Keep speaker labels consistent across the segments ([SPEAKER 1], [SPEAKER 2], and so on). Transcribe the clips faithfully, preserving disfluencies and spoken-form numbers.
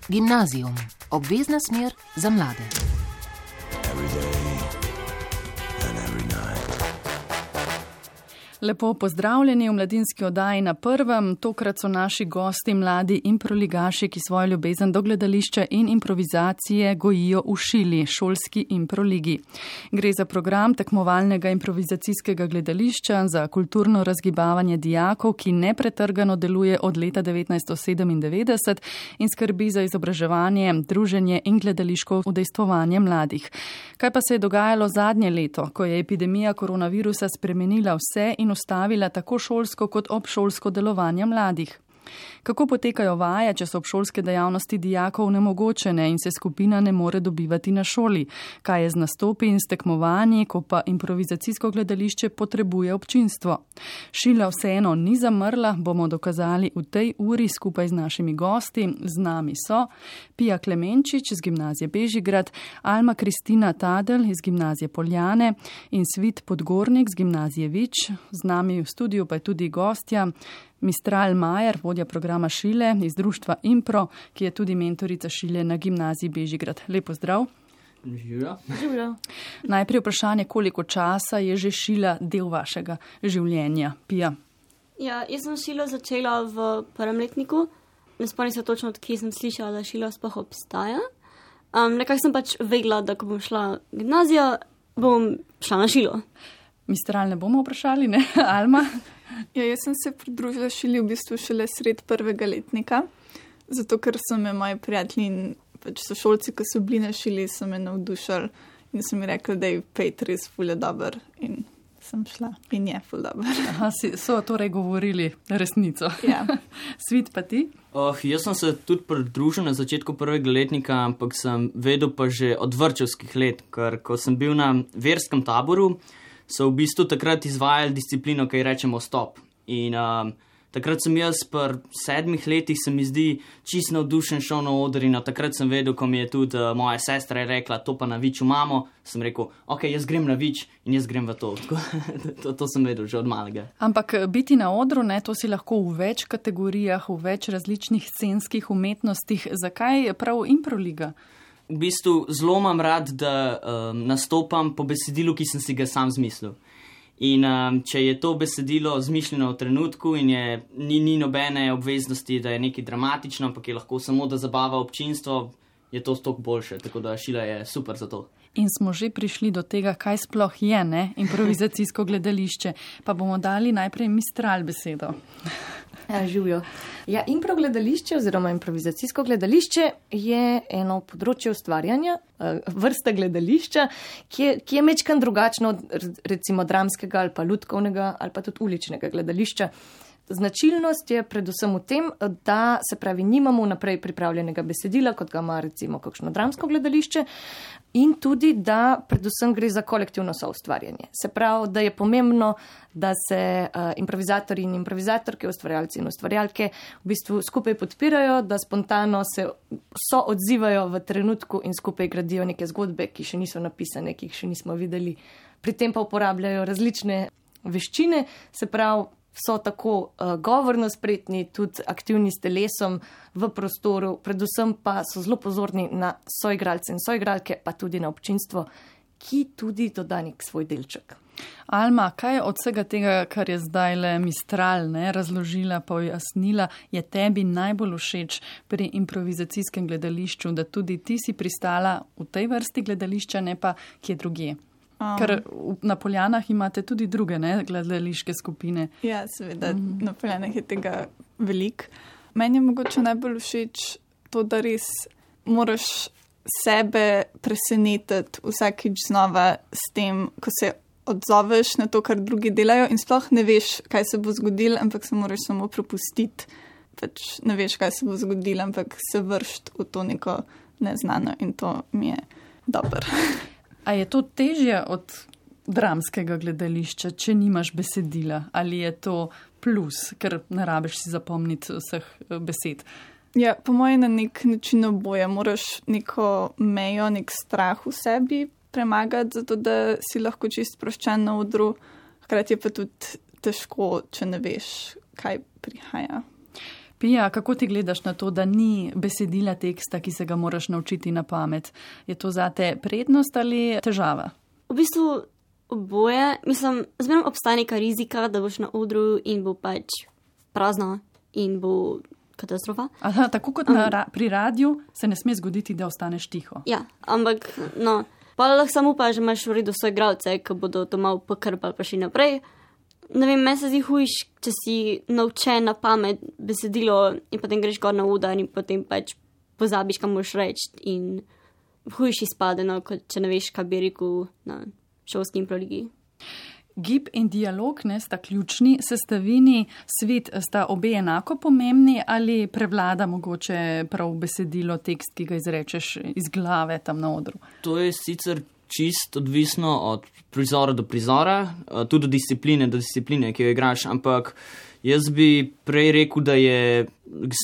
[SPEAKER 1] Gimnazijum, obvezna smer za mlade.
[SPEAKER 2] Lepo pozdravljeni v mladinski oddaji Na prvem. Tokrat so naši gosti mladi improligaši, ki svojo ljubezen do gledališča in improvizacije gojijo v Šili, šolski improligi. Gre za program tekmovalnega improvizacijskega gledališča za kulturno razgibavanje dijakov, ki nepretrgano deluje od leta devetnajststo sedemindevetdeset in skrbi za izobraževanje, druženje in gledališko udejstvovanje mladih. Kaj pa se je dogajalo zadnje leto, ko je epidemija koronavirusa spremenila vse in ustavila tako šolsko kot obšolsko delovanje mladih? Kako potekajo vaje, če so obšolske dejavnosti dijakov nemogočene in se skupina ne more dobivati na šoli? Kaj je z nastopi in s tekmovanji, ko pa improvizacijsko gledališče potrebuje občinstvo? Šila vseeno ni zamrla, bomo dokazali v tej uri skupaj z našimi gosti. Z nami so Pija Klemenčič iz Gimnazije Bežigrad, Alma Kristina Tadel iz Gimnazije Poljane in Svit Podgornik z Gimnazije Vič. Z nami v studiu pa je tudi gostja Mistral Majer, vodja programa Šile iz društva Impro, ki je tudi mentorica Šile na Gimnaziji Bežigrad. Lepo zdrav.
[SPEAKER 3] Živjo.
[SPEAKER 2] Živjo. Najprej vprašanje, koliko časa je že Šila del vašega življenja? Pija.
[SPEAKER 4] Ja, jaz sem Šilo začela v prvem letniku. Ne spomnim se točno, od kje sem slišala, da Šilo sploh obstaja. Um, nekako sem pač vedela, da ko bom šla v gimnazijo, bom šla na Šilo.
[SPEAKER 2] Mistral ne bomo vprašali, ne? Alma?
[SPEAKER 5] Ja, jaz sem se pridružila Šili v bistvu šele sred prvega letnika, zato ker so me moji prijatelji in pač sošolci, ki so bili na Šili, so me navdušali in so mi rekli, da je pet res ful je dober in sem šla in je ful dober.
[SPEAKER 2] Aha, so torej govorili resnico.
[SPEAKER 5] Ja.
[SPEAKER 2] Svit pa ti?
[SPEAKER 3] Oh, jaz sem se tudi pridružil na začetku prvega letnika, ampak sem vedel pa že od vrtčevskih let, ker ko sem bil na verskem taboru, so v bistvu takrat izvajali disciplino, ki rečemo stop. In um, takrat sem jaz pri sedmih letih, se mi zdi, čist navdušen šel na oder in takrat sem vedel, ko mi je tudi uh, moja sestra rekla, to pa na Viču imamo, sem rekel, ok, jaz grem na Vič in jaz grem v to. to. To sem vedel že od malega.
[SPEAKER 2] Ampak biti na odru, ne, to si lahko v več kategorijah, v več različnih scenskih umetnostih. Zakaj je prav improliga?
[SPEAKER 3] V bistvu zelo imam rad, da um, nastopam po besedilu, ki sem si ga sam zmislil. In um, če je to besedilo zmišljeno v trenutku in je, ni, ni nobene obveznosti, da je nekaj dramatično, ampak je lahko samo, da zabava občinstvo, je to stok boljše. Tako da Šila je super za to.
[SPEAKER 2] In smo že prišli do tega, kaj sploh je, ne, improvizacijsko gledališče. Pa bomo dali najprej Mistral besedo.
[SPEAKER 6] Ja, živjo. Ja, impro gledališče oziroma improvizacijsko gledališče je eno področje ustvarjanja, vrsta gledališča, ki je, ki je mečkan drugačno od recimo dramskega ali pa lutkovnega ali pa tudi uličnega gledališča. Značilnost je predvsem v tem, da se pravi, nimamo naprej pripravljenega besedila, kot ga ima recimo kakšno dramsko gledališče, in tudi, da predvsem gre za kolektivno soustvarjanje. Se pravi, da je pomembno, da se uh, improvizatorji in improvizatorke, ustvarjalci in ustvarjalke v bistvu skupaj podpirajo, da spontano se so odzivajo v trenutku in skupaj gradijo neke zgodbe, ki še niso napisane, ki jih še nismo videli. Pri tem pa uporabljajo različne veščine, se pravi, so tako uh, govorno spretni, tudi aktivni s telesom v prostoru, predvsem pa so zelo pozorni na soigralce in soigralke, pa tudi na občinstvo, ki tudi doda nek svoj delček.
[SPEAKER 2] Alma, kaj od vsega tega, kar je zdaj le Mistral, ne, razložila, pojasnila, je tebi najbolj všeč pri improvizacijskem gledališču, da tudi ti si pristala v tej vrsti gledališča, ne pa kje drugje? Um, Ker na Poljanah imate tudi druge, ne, gledališke skupine.
[SPEAKER 5] Ja, seveda, mm-hmm. Na Poljanah je tega veliko. Meni je mogoče najbolj všeč to, da res moraš sebe presenetiti vsakič znova s tem, ko se odzoveš na to, kar drugi delajo in sploh ne veš, kaj se bo zgodilo, ampak se moraš samo prepustiti. Pač ne veš, kaj se bo zgodilo, ampak se vršiti v to neko neznano in to mi je dobro.
[SPEAKER 2] A je to težje od dramskega gledališča, če nimaš besedila? Ali je to plus, ker ne rabiš si zapomniti vseh besed?
[SPEAKER 5] Ja, po mojem na nek način oboje. Moraš neko mejo, nek strah v sebi premagati, zato da si lahko čist sproščen na odru. Hkrati je pa tudi težko, če ne veš, kaj prihaja.
[SPEAKER 2] Pija, kako ti gledaš na to, da ni besedila teksta, ki se ga moraš naučiti na pamet? Je to zate prednost ali težava?
[SPEAKER 4] V bistvu oboje. Mislim, zmerno obstaja neka rizika, da boš na odru in bo pač prazno in bo katastrofa.
[SPEAKER 2] Aha, tako kot na, ra pri radiju se ne sme zgoditi, da ostaneš tiho.
[SPEAKER 4] Ja, ampak no, pa lahko samo upaš, da imaš v redu svoje igralce, ki bodo to malo pokrpali pa še naprej. Ne vem, meni se zdi hujš, če si naučen na pamet besedilo in potem greš gor na oder in potem pač pozabiš, kam moš reči in hujš izpade, no, kot če ne veš, kaj bi rekel na šolski improligi.
[SPEAKER 2] Gib in dialog ne sta ključni sestavini, svet sta obe enako pomembni ali prevlada mogoče prav besedilo, tekst, ki ga izrečeš iz glave tam na odru?
[SPEAKER 3] To je sicer čist odvisno od prizora do prizora, tudi od discipline do discipline, ki jo igraš, ampak jaz bi prej rekel, da je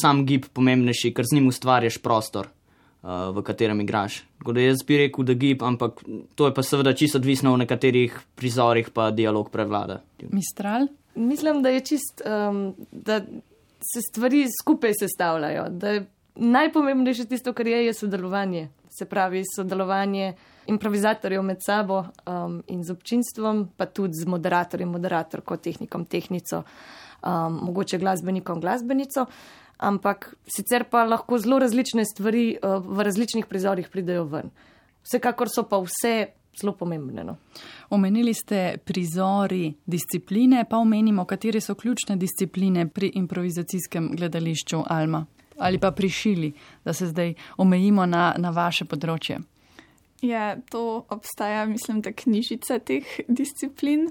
[SPEAKER 3] sam gib pomembnejši, ker z njim ustvarjaš prostor, v katerem igraš. Tako da jaz bi rekel, da gib, ampak to je pa seveda čisto odvisno v nekaterih prizorih, pa dialog prevlada.
[SPEAKER 2] Mistral?
[SPEAKER 6] Mislim, da je čist, um, da se stvari skupaj sestavljajo, da je najpomembnejše tisto, kar je, je sodelovanje. Se pravi, sodelovanje improvizatorjev med sabo um, in z občinstvom, pa tudi z moderatorjem, moderatorko, tehnikom, tehnico, um, mogoče glasbenikom, glasbenico. Ampak sicer pa lahko zelo različne stvari uh, v različnih prizorih pridejo ven. Vsekakor so pa vse zelo pomembne. No.
[SPEAKER 2] Omenili ste prizori, discipline, pa omenimo, katere so ključne discipline pri improvizacijskem gledališču, Alma, ali pa pri šili, da se zdaj omejimo na, na vaše področje.
[SPEAKER 5] Ja, to obstaja, mislim, da knjižica teh disciplin.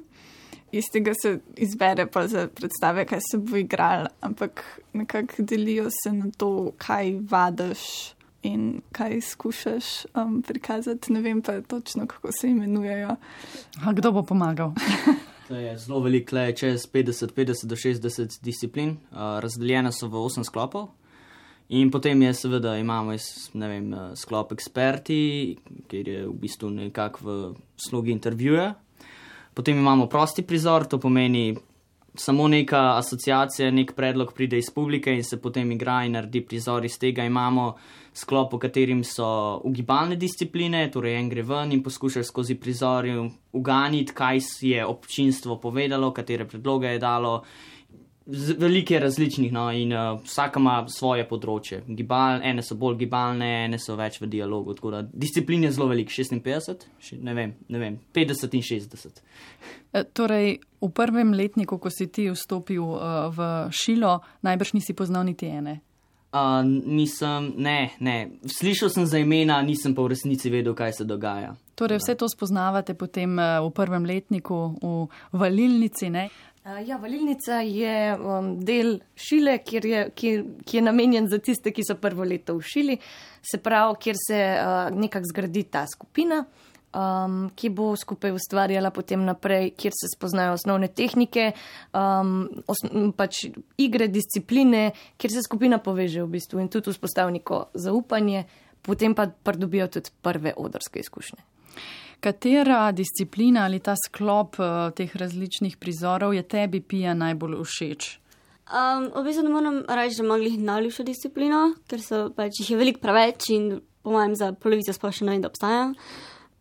[SPEAKER 5] Iz tega se izbere pa za predstave, kaj se bo igral, ampak nekako delijo se na to, kaj vadaš in kaj skušaš um, prikazati. Ne vem pa točno, kako se imenujejo.
[SPEAKER 2] A kdo bo pomagal?
[SPEAKER 3] To je zelo veliko, le čez petdeset, petdeset do šestdeset disciplin, uh, razdeljene so v osem sklopov. In potem je seveda imamo ne vem, sklop eksperti, kjer je v bistvu nekako v slogi intervjuja. Potem imamo prosti prizor, to pomeni samo neka asociacija, nek predlog pride iz publike in se potem igra in naredi prizor iz tega. Imamo sklop, v katerim so ugibalne discipline, torej en gre ven in poskušaš skozi prizor uganiti, kaj je občinstvo povedalo, katere predloge je dalo. Velike različnih, no, in uh, vsaka ima svoje področje. Gibal, ene so bolj gibalne, ene so več v dialogu, tako da disciplin je zelo velik, šestinpetdeset, ne vem, ne vem, petdeset in šestdeset.
[SPEAKER 2] E, torej, v prvem letniku, ko si ti vstopil uh, v šilo, najbrž nisi poznal niti ene?
[SPEAKER 3] Uh, nisem, ne, ne. Slišal sem za imena, nisem pa v resnici vedel, kaj se dogaja.
[SPEAKER 2] Torej, vse to spoznavate potem uh, v prvem letniku v valilnici, ne?
[SPEAKER 6] Ja, valilnica je um, del šile, kjer je, ki, ki je namenjen za tiste, ki so prvo leto v šili, se pravi, kjer se uh, nekako zgradi ta skupina, um, ki bo skupaj ustvarjala potem naprej, kjer se spoznajo osnovne tehnike, um, os, pač igre, discipline, kjer se skupina poveže v bistvu in tudi vzpostavi neko zaupanje, potem pa pridobijo tudi prve odrske izkušnje.
[SPEAKER 2] Katera disciplina ali ta sklop uh, teh različnih prizorov je tebi, Pija, najbolj všeč?
[SPEAKER 4] Um, v bistvu ne moram reči, da imam glih najljubšo disciplino, ker so pač jih je veliko preveč in po mojem za polovico sploh še ne vem, da obstaja.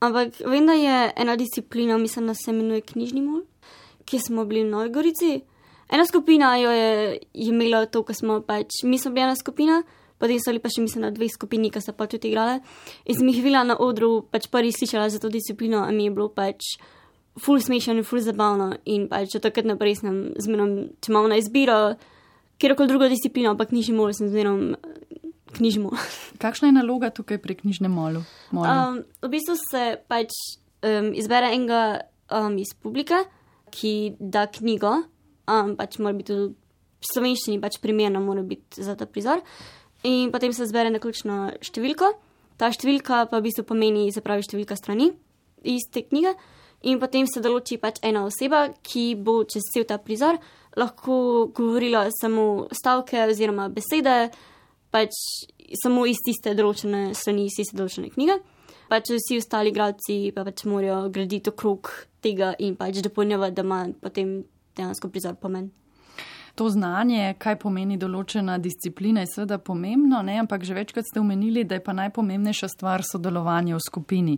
[SPEAKER 4] Ampak vem, da je ena disciplina, mislim, da se imenuje knjižni mol, kjer smo bili v Novi Gorici. Ena skupina jo je, je imela to, ko smo pač, mi smo bili ena skupina, potem so bili pa še, mislim, na dve skupini, ki so pa tudi igrale. In sem jih videla na odru, pač prvi slišala za to disciplino, a mi je bilo pač ful smešno in ful zabavno. In pač od takrat naprej sem zmerom, če imamo na izbiro, kjerokoli drugo disciplino, pa knjižni mol, sem zmerom knjižni mol.
[SPEAKER 2] Kakšna je naloga tukaj pri knjižnem molu?
[SPEAKER 4] Um, v bistvu se pač um, izbere enega um, iz publike, ki da knjigo, um, pač mora biti tudi v slovenščini, pač primerno mora biti za ta prizor. In potem se zbere naključno številko. Ta številka pa v bistvu pomeni, se pravi, številka strani iz te knjige. In potem se določi pač ena oseba, ki bo čez cel ta prizor lahko govorila samo stavke oziroma besede, pač samo iz tiste določene strani, iz tiste določene knjige. Pač vsi ostali igralci pa pač morajo graditi okrog tega in pač dopolnjevati, da ima potem dejansko prizor pomen.
[SPEAKER 2] To znanje, kaj pomeni določena disciplina, je seveda pomembno, ne? Ampak že večkrat ste omenili, da je pa najpomembnejša stvar sodelovanje v skupini.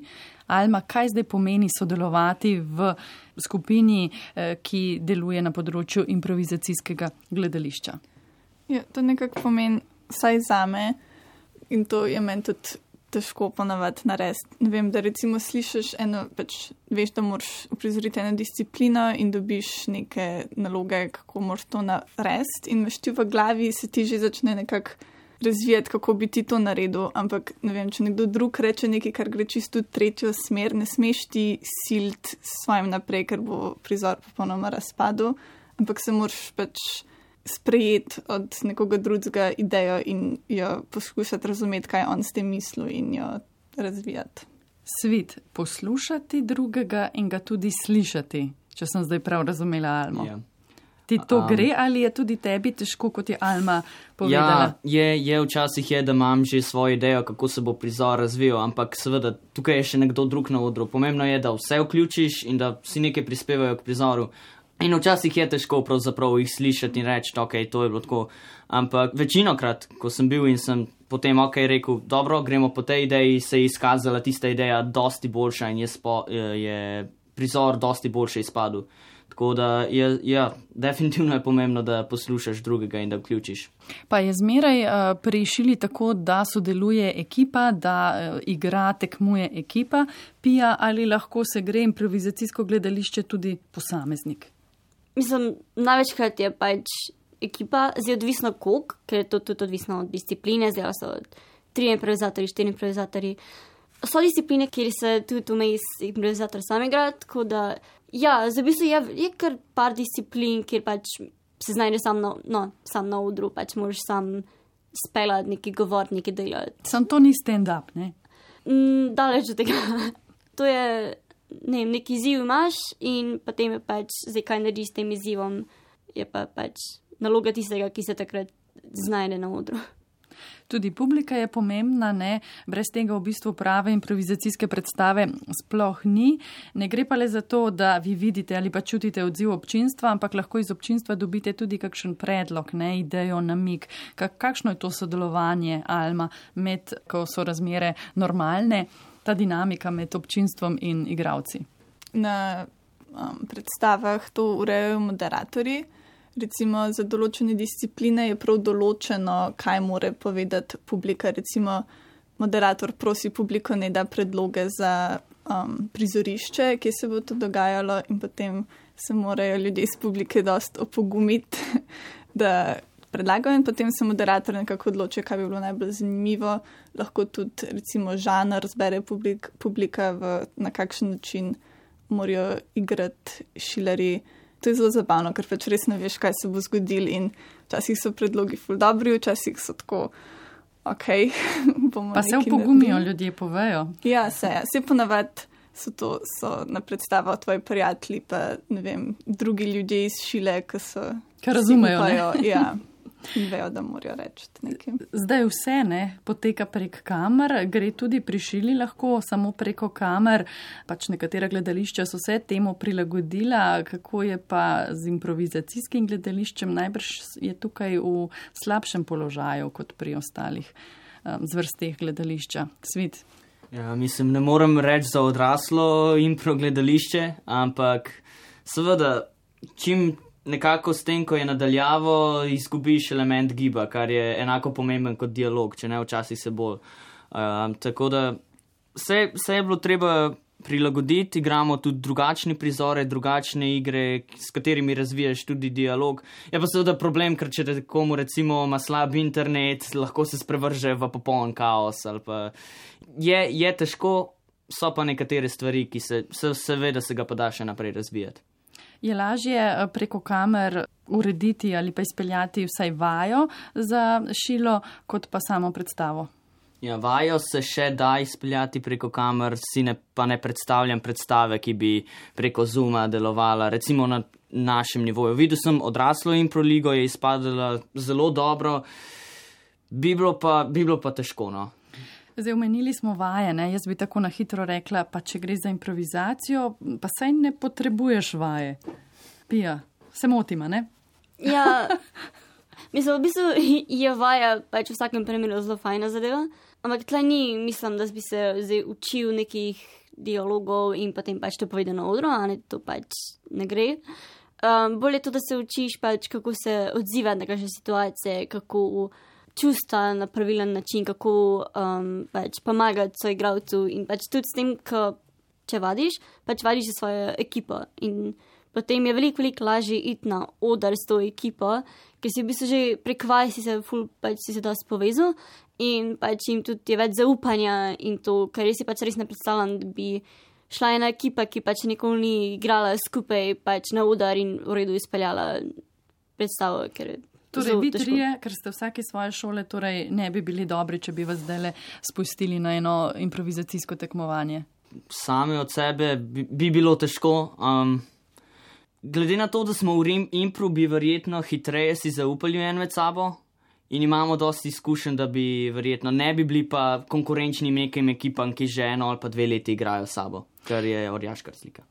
[SPEAKER 2] Alma, kaj zdaj pomeni sodelovati v skupini, ki deluje na področju improvizacijskega gledališča?
[SPEAKER 5] Ja, to nekako pomeni vsaj zame in to je meni tudi težko ponavadi narediti. Ne vem, da recimo slišiš eno, pač veš, da moraš uprizoriti eno disciplino in dobiš neke naloge, kako moraš to narediti in imaš ti v glavi, se ti že začne nekako razvijati, kako bi ti to naredil, ampak ne vem, če nekdo drug reče nekaj, kar gre čisto v tretjo smer, ne smeš ti siliti s svojim naprej, ker bo prizor popolnoma razpadel, ampak se moraš pač sprejeti od nekoga drugega idejo in jo poskušati razumeti, kaj on s tem misli in jo razvijati.
[SPEAKER 2] Svit, poslušati drugega in ga tudi slišati, če sem zdaj prav razumela Almo.
[SPEAKER 3] Ja.
[SPEAKER 2] Ti to
[SPEAKER 3] Um,
[SPEAKER 2] gre ali je tudi tebi težko, kot je Alma povedala?
[SPEAKER 3] Ja, je, je včasih je, da imam že svojo idejo, kako se bo prizor razvijal, ampak seveda tukaj je še nekdo drug na odru. Pomembno je, da vse vključiš in da vsi nekaj prispevajo k prizoru. In včasih je težko pravzaprav jih slišati in reči, ok, to je bilo tako. Ampak večinokrat, ko sem bil in sem potem ok rekel, dobro, gremo po tej ideji, se je izkazala tista ideja dosti boljša in je, spo, je prizor dosti boljše izpadel. Tako da je, ja, definitivno je pomembno, da poslušaš drugega in da vključiš.
[SPEAKER 2] Pa je zmeraj uh, pri šili tako, da sodeluje ekipa, da uh, igra, tekmuje ekipa, Pija, ali lahko se gre improvizacijsko gledališče tudi posameznik?
[SPEAKER 4] Mislim, največkrat je pač ekipa, zdaj odvisno koliko, ker je to tudi odvisno od discipline, zdaj so tri improvizatorji, štiri improvizatorji. So discipline, kjer se tudi vmes improvizator sam igra, tako da, ja, zdaj v bistvu je, je kar par disciplin, kjer pač se znajde sam na, no, sam na odru, pač moraš sam speljati, neki govor, neki delati.
[SPEAKER 2] Sam to ni stand-up, ne?
[SPEAKER 4] Mm, daleč od tega. To je, ne vem, neki izziv imaš in potem je pač, zdaj kaj narediš s tem izzivom, je pa pač naloga tistega, ki se takrat znajde na odru.
[SPEAKER 2] Tudi publika je pomembna, ne? Brez tega v bistvu prave improvizacijske predstave sploh ni. Ne gre pa le za to, da vi vidite ali pa čutite odziv občinstva, ampak lahko iz občinstva dobite tudi kakšen predlog, ne? Idejo, namig. Kakšno je to sodelovanje, Alma, med, ko so razmere normalne, ta dinamika med občinstvom in igravci?
[SPEAKER 5] Na um, predstavah to urejajo moderatorji. Recimo za določene discipline je prav določeno, kaj more povedati publika. Recimo moderator prosi publiko, ne da predloge za um, prizorišče, kje se bo to dogajalo in potem se morajo ljudje iz publike dost opogumiti, da predlagajo in potem se moderator nekako odloči, kaj bi bilo najbolj zanimivo. Lahko tudi recimo žanr zbere publik, publika, v, na kakšen način morajo igrati šilarji. To je zelo zabavno, ker pač res ne veš, kaj se bo zgodil in včasih so predlogi ful dobri, včasih so tako, ok, bomo
[SPEAKER 2] pa se opogumijo, ljudje povejo.
[SPEAKER 5] Ja, se, se ponavadi so to, so na predstavo tvoji prijatelji, pa ne vem, drugi ljudje iz šile, ki so...
[SPEAKER 2] Kar razumejo,
[SPEAKER 5] upajo, ne? Ja, in vejo, da morajo reči nekaj.
[SPEAKER 2] Zdaj vse, ne, poteka prek kamer, gre tudi pri šili lahko samo preko kamer, pač nekatera gledališča so se temu prilagodila, kako je pa z improvizacijskim gledališčem, najbrž je tukaj v slabšem položaju kot pri ostalih um, zvrsteh gledališča. Svit.
[SPEAKER 3] Ja, mislim, ne morem reči za odraslo impro gledališče, ampak seveda, čim nekako s tem, ko je nadaljavo, izgubiš element giba, kar je enako pomemben kot dialog, če ne včasih se bolj. Um, tako da se, se je bilo treba prilagoditi, igramo tudi drugačne prizore, drugačne igre, s katerimi razvijaš tudi dialog. Je pa seveda problem, ker če komu recimo ima slab internet, lahko se sprevrže v popoln kaos. Ali pa je, je težko, so pa nekatere stvari, ki se, se seveda se ga pa da še naprej razvijati.
[SPEAKER 2] Je lažje preko kamer urediti ali pa izpeljati vsaj vajo za šilo, kot pa samo predstavo?
[SPEAKER 3] Ja, vajo se še da izpeljati preko kamer, si ne, pa ne predstavljam predstave, ki bi preko Zooma delovala, recimo na našem nivoju. Videl sem odraslo improligo, je izpadala zelo dobro, bi bilo pa, bi bilo pa težko, no.
[SPEAKER 2] Zdaj, omenili smo vaje, ne? Jaz bi tako na hitro rekla, pa če gre za improvizacijo, pa saj ne potrebuješ vaje. Pija, se motima, ne?
[SPEAKER 4] Ja, mislim, v bistvu je vaja pač v vsakem primeru zelo fajna zadeva, ampak tle ni, mislim, da bi se zdaj učil nekih dialogov in potem pač to povedal na odru, a ne, to pač ne gre. Um, bolje to, da se učiš pač, kako se odzivati na kakšne situacije, kako čustva na pravilen način, kako um, pač pomagati svoj igralcu in pač tudi s tem, ko če vadiš, pač vadiš za svojo ekipo in potem je veliko, veliko lažje iti na oder s to ekipo, ker si v bistvu že prek vaj si se ful, pač si se dosti povezal in pač jim tudi je več zaupanja in to, ker jaz si pač res ne predstavljam, da bi šla ena ekipa, ki pač nikoli ni igrala skupaj pač na oder in v redu izpeljala predstavo, ker je
[SPEAKER 2] Torej, vi trije, ker ste vsake svoje šole, torej ne bi bili dobri, če bi vas zdaj spustili na eno improvizacijsko tekmovanje.
[SPEAKER 3] Same od sebe bi, bi bilo težko. Um, glede na to, da smo v impru, bi verjetno hitreje si zaupali en med sabo in imamo dosti izkušenj, da bi verjetno ne bi bili pa konkurenčni nekim ekipam, ki že eno ali pa dve leti igrajo sabo, kar je orjaška razlika.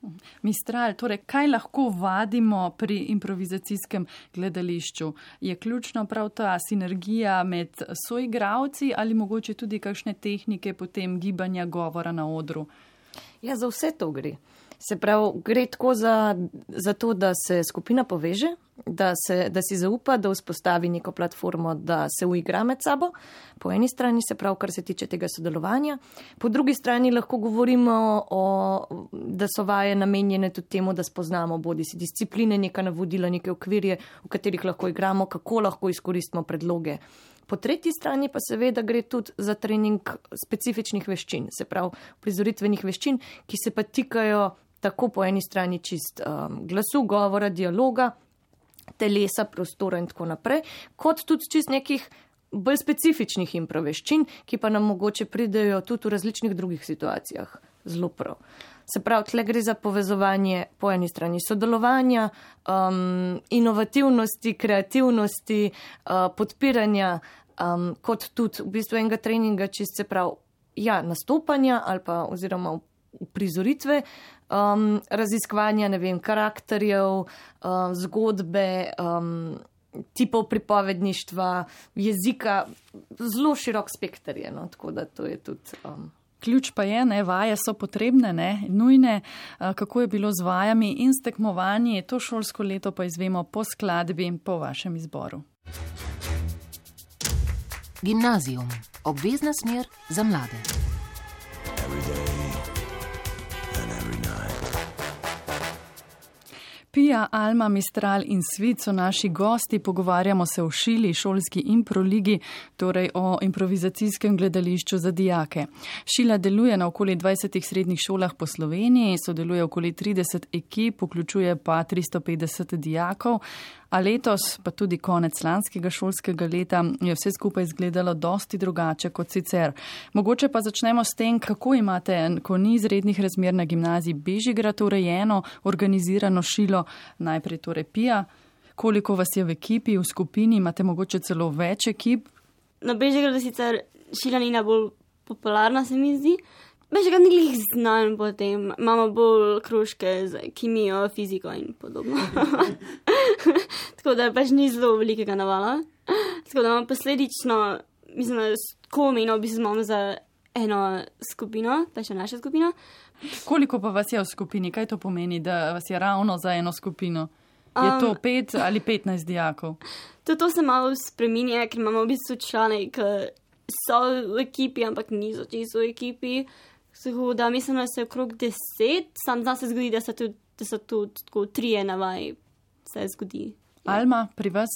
[SPEAKER 2] Mistral, torej, kaj lahko vadimo pri improvizacijskem gledališču? Je ključno prav ta sinergija med soigravci ali mogoče tudi kakšne tehnike potem gibanja govora na odru?
[SPEAKER 6] Ja, za vse to gre. Se pravi, gre tako za, za to, da se skupina poveže, da, se, da si zaupa, da vzpostavi neko platformo, da se uigra med sabo. Po eni strani se pravi, kar se tiče tega sodelovanja. Po drugi strani lahko govorimo, o, da so vaje namenjene tudi temu, da spoznamo bodi si discipline, neka navodila, neke okvirje, v katerih lahko igramo, kako lahko izkoristimo predloge. Po tretji strani pa seveda gre tudi za trening specifičnih veščin, se pravi prizoritvenih veščin, ki se pa tikajo tako po eni strani čist um, glasu, govora, dialoga, telesa, prostora in tako naprej, kot tudi čist nekih bolj specifičnih improveščin, ki pa nam mogoče pridejo tudi v različnih drugih situacijah. Zelo prav. Se pravi, tle gre za povezovanje po eni strani sodelovanja, um, inovativnosti, kreativnosti, uh, podpiranja, um, kot tudi v bistvu enega treninga, čist se pravi, ja, nastopanja ali pa oziroma prizoritve, um, raziskovanja, ne vem, karakterjev, uh, zgodbe, um, tipov pripovedništva, jezika, zelo širok spekter je, no, tako da to je tudi... Um,
[SPEAKER 2] Ključ pa je, ne, vaje so potrebne, ne, nujne, kako je bilo z vajami in s tekmovanji, to šolsko leto pa izvemo po skladbi po vašem izboru.
[SPEAKER 1] Gimnazijum, obvezna smer za mlade.
[SPEAKER 2] Pija, Alma, Mistral in Svit so naši gosti, pogovarjamo se o Šili, šolski improligi, torej o improvizacijskem gledališču za dijake. Šila deluje na okoli dvajsetih srednjih šolah po Sloveniji, sodeluje okoli trideset ekip, vključuje pa tristo petdeset dijakov, a letos, pa tudi konec lanskega šolskega leta, je vse skupaj izgledalo dosti drugače kot sicer. Mogoče pa začnemo s tem, kako imate, ko ni izrednih razmer na gimnaziji Bežigrad urejeno, organizirano Šilo, najprej torej Pija, koliko vas je v ekipi, v skupini, imate mogoče celo več ekip?
[SPEAKER 4] Na Bežigradu sicer Šila ni najbolj popularna, se mi zdi. Bežigrad ni glih znan potem, imamo bolj kružke z kemijo, fiziko in podobno. Tako da pač ni zelo velikega navala. Tako da imamo posledično, mislim, da komi, no, bi se imamo za eno skupino, pač naša skupina.
[SPEAKER 2] Koliko pa vas je v skupini? Kaj to pomeni, da vas je ravno za eno skupino? Je to um, pet ali petnajst dijakov?
[SPEAKER 4] To, to se malo spreminja, ker imamo v bistvu člane, ki so v ekipi, ampak niso čisto v ekipi. Tako da mislim, da se okrog deset, sam zna se zgodi, da so tudi, da so tudi tako trije navaj, se zgodi.
[SPEAKER 2] Alma, pri vas?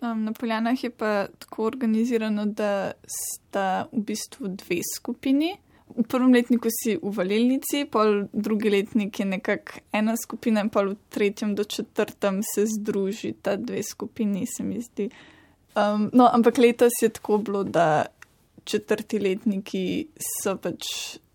[SPEAKER 5] Um, na Poljanah je pa tako organizirano, da sta v bistvu dve skupini. V prvem letniku si v valilnici, pol drugi letnik je nekako ena skupina in pol v tretjem do četrtem se združi ta dve skupini, se mi zdi. Um, no, ampak letos je tako bilo, da četrti letniki so pač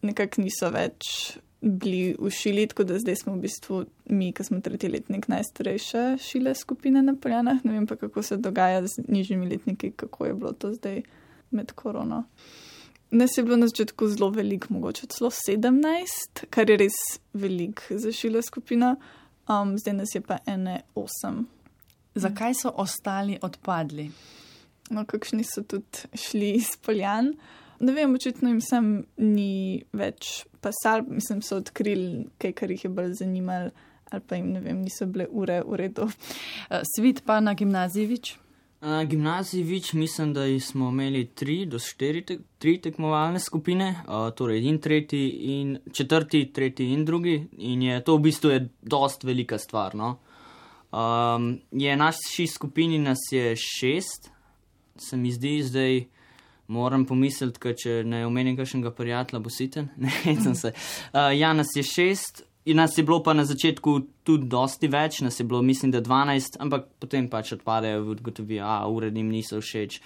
[SPEAKER 5] nekako niso več bili v Šili, tako da zdaj smo v bistvu mi, ki smo tretji letnik, najstarejša Šile skupina na Poljanah. Ne vem pa, kako se dogaja z nižjimi letniki, kako je bilo to zdaj med korono. Nas je bilo na začetku zelo veliko, mogoče celo sedemnajst, kar je res veliko za Šile skupino. Um, zdaj nas je pa ene osem.
[SPEAKER 2] Zakaj so ostali odpadli?
[SPEAKER 5] No, kakšni so tudi šli iz Poljan. Ne vem, očitno jim sem ni več pasal, mislim, so odkrili kaj, kar jih je bolj zanimalo, ali pa jim, ne vem, niso bile ure v redu.
[SPEAKER 2] Svit pa na gimnaziji Vič?
[SPEAKER 3] Na gimnaziji Vič mislim, da smo imeli tri do štiri te, tri tekmovalne skupine, uh, torej in tretji in četrti, tretji in drugi, in je to v bistvu je dost velika stvar, no. Um, je naši skupini nas je šest, se mi zdi, zdaj moram pomisliti, ker če ne omenim kakšnega prijatelja, bo siten, ne, sem se. Uh, ja, nas je šest, in nas je bilo pa na začetku tudi dosti več, nas je bilo mislim, da dvanajst, ampak potem pač odpadejo v ugotovijo, a ure jim niso všeč,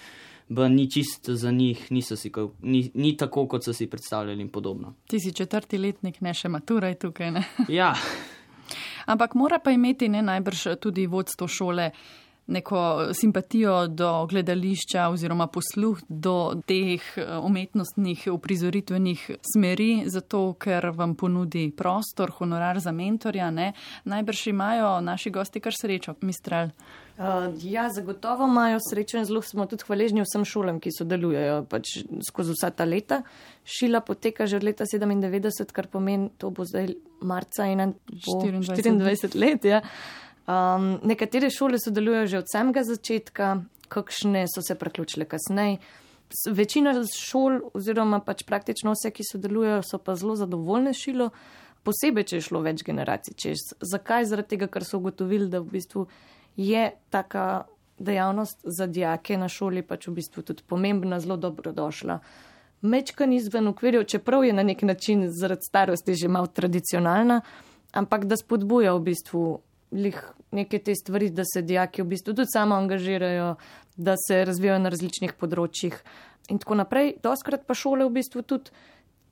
[SPEAKER 3] ba ni čisto za njih, niso si, ni, ni tako, kot so si predstavljali in podobno.
[SPEAKER 2] Ti si četrti letnik, ne še maturaj tukaj, ne?
[SPEAKER 3] Ja.
[SPEAKER 2] Ampak mora pa imeti ne najbrž tudi vodstvo šole neko simpatijo do gledališča oziroma posluh do teh umetnostnih uprizoritvenih smeri, zato ker vam ponudi prostor, honorar za mentorja, ne? Najbrž imajo naši gosti kar srečo, Mistral.
[SPEAKER 6] Uh, ja, zagotovo imajo srečo in zelo smo tudi hvaležni vsem šolam, ki sodelujejo pač skozi vsa ta leta. Šila poteka že od leta sedemindevetdeset, kar pomeni, to bo zdaj marca in štiriindvajset let, ja. Um, nekatere šole sodelujejo že od samega začetka, kakšne so se priključile kasneje. Večina šol oziroma pač praktično vse, ki sodelujejo, so pa zelo zadovoljne šilo, posebej, če je šlo več generacij čez. Zakaj? Zaradi tega, ker so ugotovili, da v bistvu je taka dejavnost za dijake na šoli pač v bistvu tudi pomembna, zelo dobrodošla. Mečkan izven okvirjev, čeprav je na nek način zaradi starosti že malo tradicionalna, ampak da spodbuja v bistvu lih neke te stvari, da se dijaki v bistvu tudi samo angažirajo, da se razvijajo na različnih področjih in tako naprej. Doskrat pa šole v bistvu tudi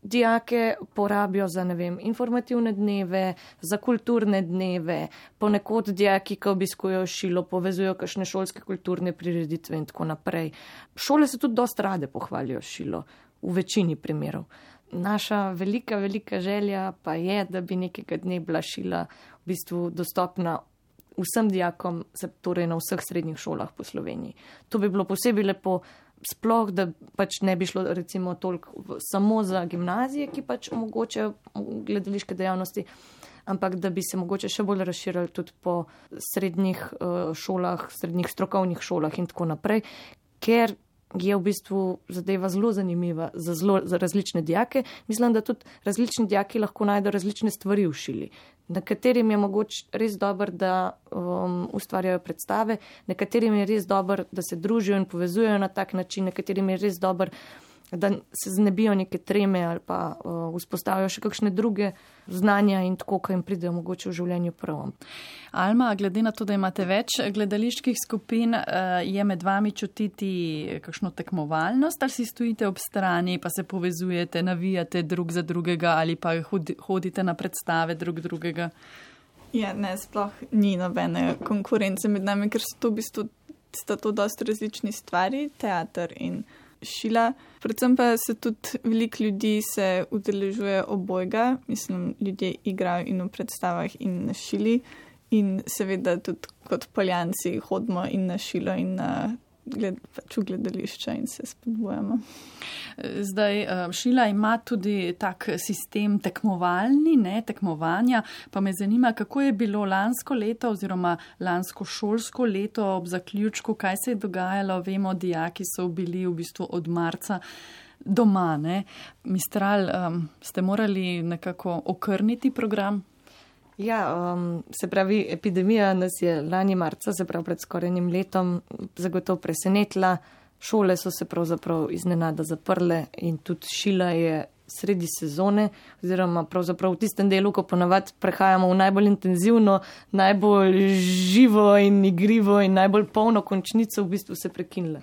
[SPEAKER 6] dijake porabijo za, ne vem, informativne dneve, za kulturne dneve, ponekod dijaki, ki obiskujejo šilo, povezujo kakšne šolske kulturne prireditve in tako naprej. Šole se tudi dost rade pohvalijo šilo, v večini primerov. Naša velika, velika želja pa je, da bi nekega dne bila šila v bistvu dostopna vsem dijakom, torej na vseh srednjih šolah po Sloveniji. To bi bilo posebej lepo, sploh, da pač ne bi šlo recimo toliko samo za gimnazije, ki pač omogočajo gledališke dejavnosti, ampak da bi se mogoče še bolj razširili tudi po srednjih uh, šolah, srednjih strokovnih šolah in tako naprej, ker je v bistvu zadeva zelo zanimiva za, zelo, za različne dijake. Mislim, da tudi različni dijaki lahko najdejo različne stvari v šili. Nekaterim je mogoče res dober, da um, ustvarjajo predstave, nekaterim je res dober, da se družijo in povezujejo na tak način, nekaterim je res dober, da se znebijo neke treme ali pa uh, vzpostavijo še kakšne druge znanja in tako, kaj jim pridejo mogoče v življenju prvom.
[SPEAKER 2] Alma, glede na to, da imate več gledaliških skupin, uh, je med vami čutiti kakšno tekmovalnost ali si stojite ob strani, pa se povezujete, navijate drug za drugega ali pa hodite na predstave drug drugega?
[SPEAKER 5] Ja, ne, sploh ni nobene konkurence med nami, ker so to v bistvu sta to dosti različni stvari, teater in šila. Predvsem pa se tudi veliko ljudi se udeležuje obojga, mislim, ljudje igrajo in v predstavah in na šili in seveda tudi kot Poljanci hodimo in na šilo in na gled, pač v gledališča in se spodbujamo.
[SPEAKER 2] Zdaj, šila ima tudi tak sistem tekmovalni, ne, tekmovanja, pa me zanima, kako je bilo lansko leto oziroma lansko šolsko leto ob zaključku, kaj se je dogajalo, vemo, dijaki so bili v bistvu od marca doma, ne. Mistral, um, ste morali nekako okrniti program?
[SPEAKER 6] Ja, um, se pravi, epidemija nas je lani marca, se pravi pred skoraj enim letom, zagotovo presenetila. Šole so se pravzaprav iznenada zaprle in tudi šila je sredi sezone, oziroma pravzaprav v tistem delu, ko ponavadi prehajamo v najbolj intenzivno, najbolj živo in igrivo in najbolj polno končnico, v bistvu se prekinile.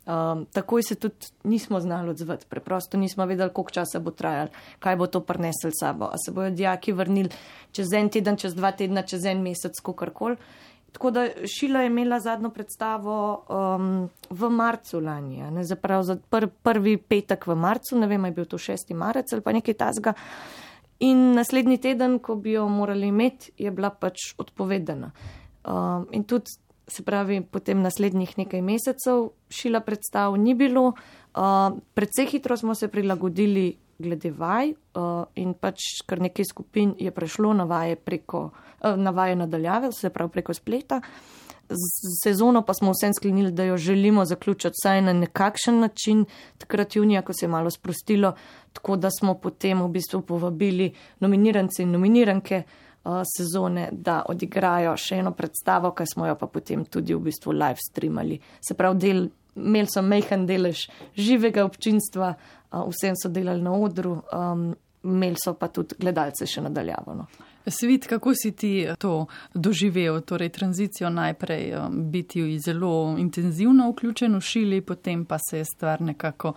[SPEAKER 6] Um, takoj se tudi nismo znali odzvati, preprosto nismo vedeli, koliko časa bo trajalo, kaj bo to prineslo sabo, a se bojo dijaki vrnili čez en teden, čez dva tedna, čez en mesec, kakorkoli. Tako da šila je imela zadnjo predstavo um, v marcu lani, ne, zaprav za pr, prvi petek v marcu, ne vem, je bil to šesti marec ali pa nekaj tasga. In naslednji teden, ko bi jo morali imeti, je bila pač odpovedana. Um, in tudi se pravi, potem naslednjih nekaj mesecev šila predstav ni bilo. Uh, predvsej hitro smo se prilagodili glede vaj uh, in pač kar nekaj skupin je prešlo na vaje preko, uh, na vaje nadaljave, se pravi preko spleta. Z sezono pa smo vsem sklenili, da jo želimo zaključiti vsaj na nekakšen način, takrat junija, ko se je malo sprostilo, tako da smo potem v bistvu povabili nominirance in nominiranke uh, sezone, da odigrajo še eno predstavo, kaj smo jo pa potem tudi v bistvu live streamali. Se pravi, del, imeli so majhen delež živega občinstva, uh, vsem so delali na odru, um, imeli so pa tudi gledalce še nadaljavo. No.
[SPEAKER 2] Svit, kako si ti to doživel, torej tranzicijo najprej um, biti zelo intenzivno vključen v šili, potem pa se je stvar nekako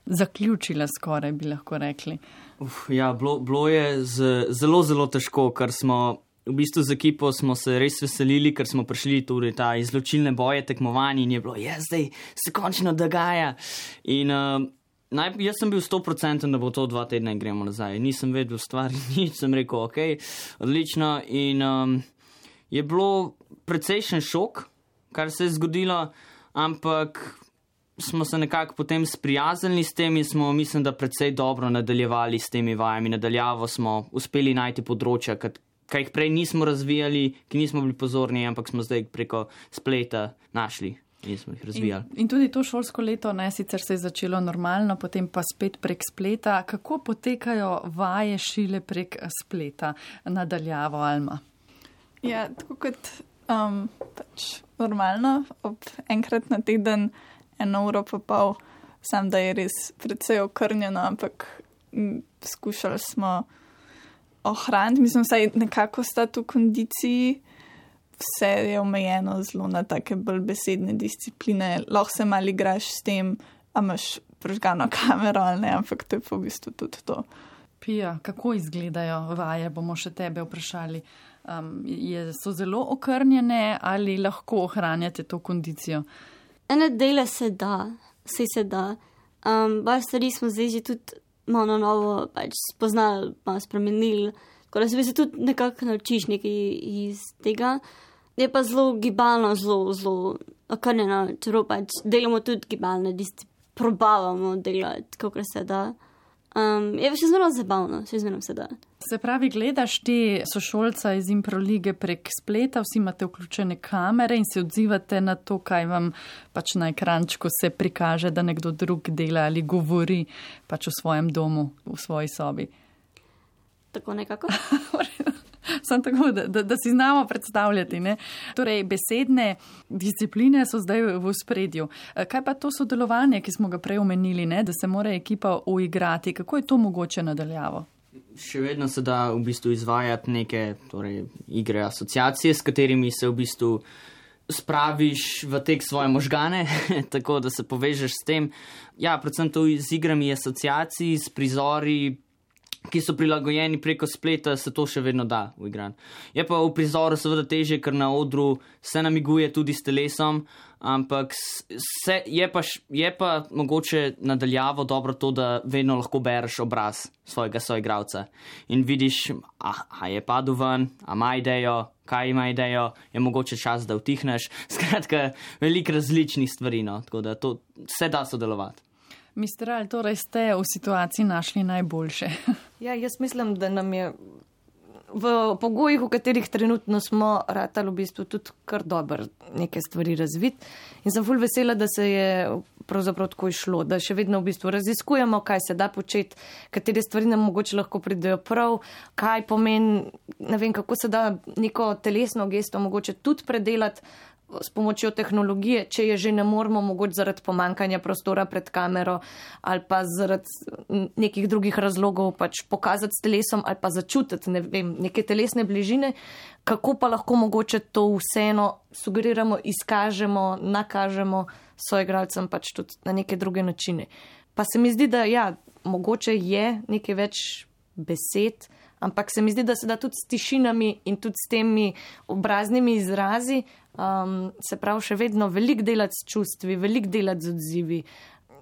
[SPEAKER 2] zaključila skoraj, bi lahko rekli.
[SPEAKER 3] Uf, ja, bilo, bilo je z, zelo, zelo težko, ker smo v bistvu z ekipo smo se res veselili, ker smo prišli tudi ta izločilne boje tekmovanja in je bilo, ja, zdaj se končno dogaja. In uh, Naj, jaz sem bil sto procentov, da bo to dva tedna in gremo nazaj. Nisem vedel stvari, nič, sem rekel, ok, odlično. In um, je bilo precejšen šok, kar se je zgodilo, ampak smo se nekako potem sprijaznili s tem in smo, mislim, da precej dobro nadaljevali s temi vajami. Nadaljavo smo uspeli najti področja, kaj jih prej nismo razvijali, ki nismo bili pozorni, ampak smo zdaj preko spleta našli. In smo jih razvijali.
[SPEAKER 2] In, in tudi to šolsko leto, ne, sicer se je začelo normalno, potem pa spet prek spleta. Kako potekajo vaje šile prek spleta nadaljavo, Alma?
[SPEAKER 5] Ja, tako kot um, pač normalno, ob enkrat na teden, eno uro pa pol, sam da je res precej okrnjeno, ampak m, skušali smo ohraniti, mislim, vsaj nekako stati v kondiciji. Vse je omejeno zelo na take bolj besedne discipline, lahko se malo igraš s tem, a imaš prižgano kamero ali ne, ampak to je pa v bistvu tudi to.
[SPEAKER 2] Pija, kako izgledajo vaje, bomo še tebe vprašali. Um, je, so zelo okrnjene ali lahko ohranjate to kondicijo?
[SPEAKER 4] Ene dele se da, vse se da. Um, Bar stvari smo zdaj že tudi malo na novo pač spoznali, malo spremenili, tako da se bi se tudi nekako naučiš nekaj iz tega. Je pa zelo gibalno, zelo, zelo okrnjeno, čeprav pač delamo tudi gibalne discipline, probavamo delati, kako se da. Um, je pa še zmerno zabavno, še zmerno se da.
[SPEAKER 2] Se pravi, gledaš te sošolca iz Improlige prek spleta, vsi imate vključene kamere in se odzivate na to, kaj vam pač na ekrančku se prikaže, da nekdo drug dela ali govori pač v svojem domu, v svoji sobi.
[SPEAKER 4] Tako nekako.
[SPEAKER 2] Sam tako, da, da, da si znamo predstavljati. Ne? Torej, besedne discipline so zdaj v spredju. Kaj pa to sodelovanje, ki smo ga prej omenili, ne? Da se mora ekipa uigrati? Kako je to mogoče nadaljavo?
[SPEAKER 3] Še vedno se da v bistvu izvajati neke torej, igre asociacije, s katerimi se v bistvu spraviš v tek svoje možgane, tako da se povežeš s tem. Ja, predvsem to z igrami asociacij, s prizori, ki so prilagojeni preko spleta, se to še vedno da v igran. Je pa v prizoru seveda težje, ker na odru se namiguje tudi s telesom, ampak se, je, pa, je pa mogoče nadaljavo dobro to, da vedno lahko bereš obraz svojega soigralca in vidiš, a, a je padel ven, a ima idejo, kaj ima idejo, je mogoče čas, da utihneš. Skratka, veliko različnih stvari, no, tako da to se da sodelovati.
[SPEAKER 2] mister Al, torej ste v situaciji našli najboljše.
[SPEAKER 6] Ja, jaz mislim, da nam je v pogojih, v katerih trenutno smo, ratali v bistvu tudi kar dobro neke stvari razviti. In sem ful vesela, da se je pravzaprav tako išlo, da še vedno v bistvu raziskujemo, kaj se da početi, katere stvari nam mogoče lahko pridejo prav, kaj pomeni, ne vem, kako se da neko telesno gesto mogoče tudi predelati s pomočjo tehnologije, če je že ne moramo mogoče zaradi pomankanja prostora pred kamero ali pa zaradi nekih drugih razlogov pač pokazati s telesom ali pa začutiti, ne vem, neke telesne bližine, kako pa lahko mogoče to vseeno sugeriramo, izkažemo, nakažemo soigralcem pač tudi na neke druge načine. Pa se mi zdi, da ja, mogoče je nekaj več besed, ampak se mi zdi, da se da tudi s tišinami in tudi s temi obraznimi izrazi, um, se pravi še vedno veliko delati s čustvi, veliko delati z odzivi,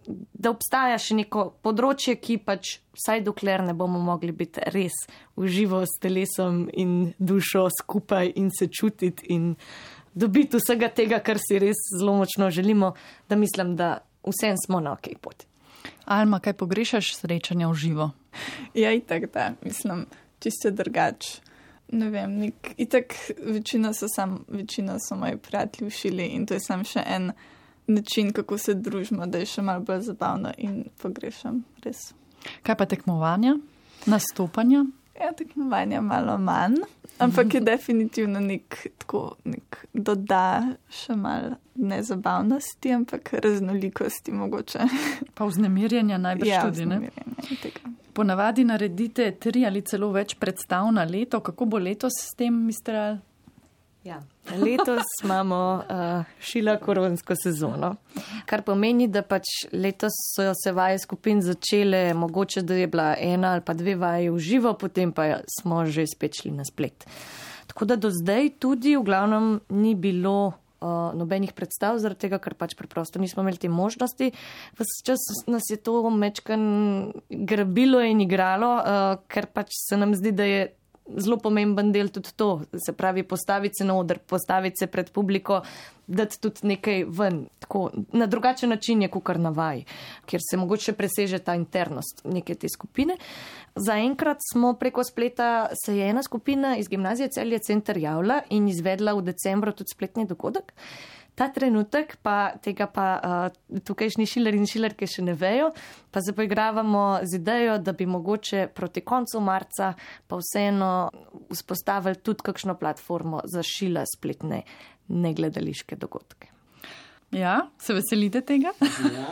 [SPEAKER 6] da obstaja še neko področje, ki pač vsaj dokler ne bomo mogli biti res uživo s telesom in dušo skupaj in se čutiti in dobiti vsega tega, kar si res zelo močno želimo, da mislim, da vsem smo na okej poti.
[SPEAKER 2] Alma, kaj pogrešaš srečanja v živo?
[SPEAKER 5] Ja, itak da, mislim, čisto drugače. Ne vem, nek, itak večina so sam, večina so moji prijatelji v Šili in to je sam še en način, kako se družimo, da je še malo bolj zabavno in pogrešam, res.
[SPEAKER 2] Kaj pa tekmovanja, nastopanja?
[SPEAKER 5] Ja, tekmovanja malo manj, ampak je definitivno nek, tako, nek doda še malo nezabavnosti, ampak raznolikosti mogoče. Pa
[SPEAKER 2] vznemirjenja najbrž
[SPEAKER 5] ja,
[SPEAKER 2] tudi, ne?
[SPEAKER 5] Ja, vznemirjenja tega.
[SPEAKER 2] Ponavadi naredite tri ali celo več predstav na leto. Kako bo letos s tem, mister Al?
[SPEAKER 6] Ja, letos imamo uh, Šila koronsko sezono, kar pomeni, da pač letos so se vaje skupin začele, mogoče da je bila ena ali pa dve vaje v živo, potem pa smo že spet šli na splet. Tako da do zdaj tudi v glavnem ni bilo uh, nobenih predstav, zaradi tega, ker pač preprosto nismo imeli te možnosti. Ves čas nas je to mečkan grabilo in igralo, uh, ker pač se nam zdi, da je zelo pomemben del tudi to, se pravi postaviti se na oder, postaviti se pred publiko, dati tudi nekaj ven. Tako, na drugačen način je kukar na vaji, kjer se mogoče preseže ta internost neke te skupine. Zaenkrat smo preko spleta, se je ena skupina iz gimnazije Celje Center javila in izvedla v decembru tudi spletni dogodek. Ta trenutek pa tega pa uh, tukajšnji šiler in šilerke še ne vejo, pa se poigravamo z idejo, da bi mogoče proti koncu marca pa vseeno vzpostavili tudi kakšno platformo za šila spletne negledališke dogodke.
[SPEAKER 2] Ja, se veselite tega?
[SPEAKER 3] Ja.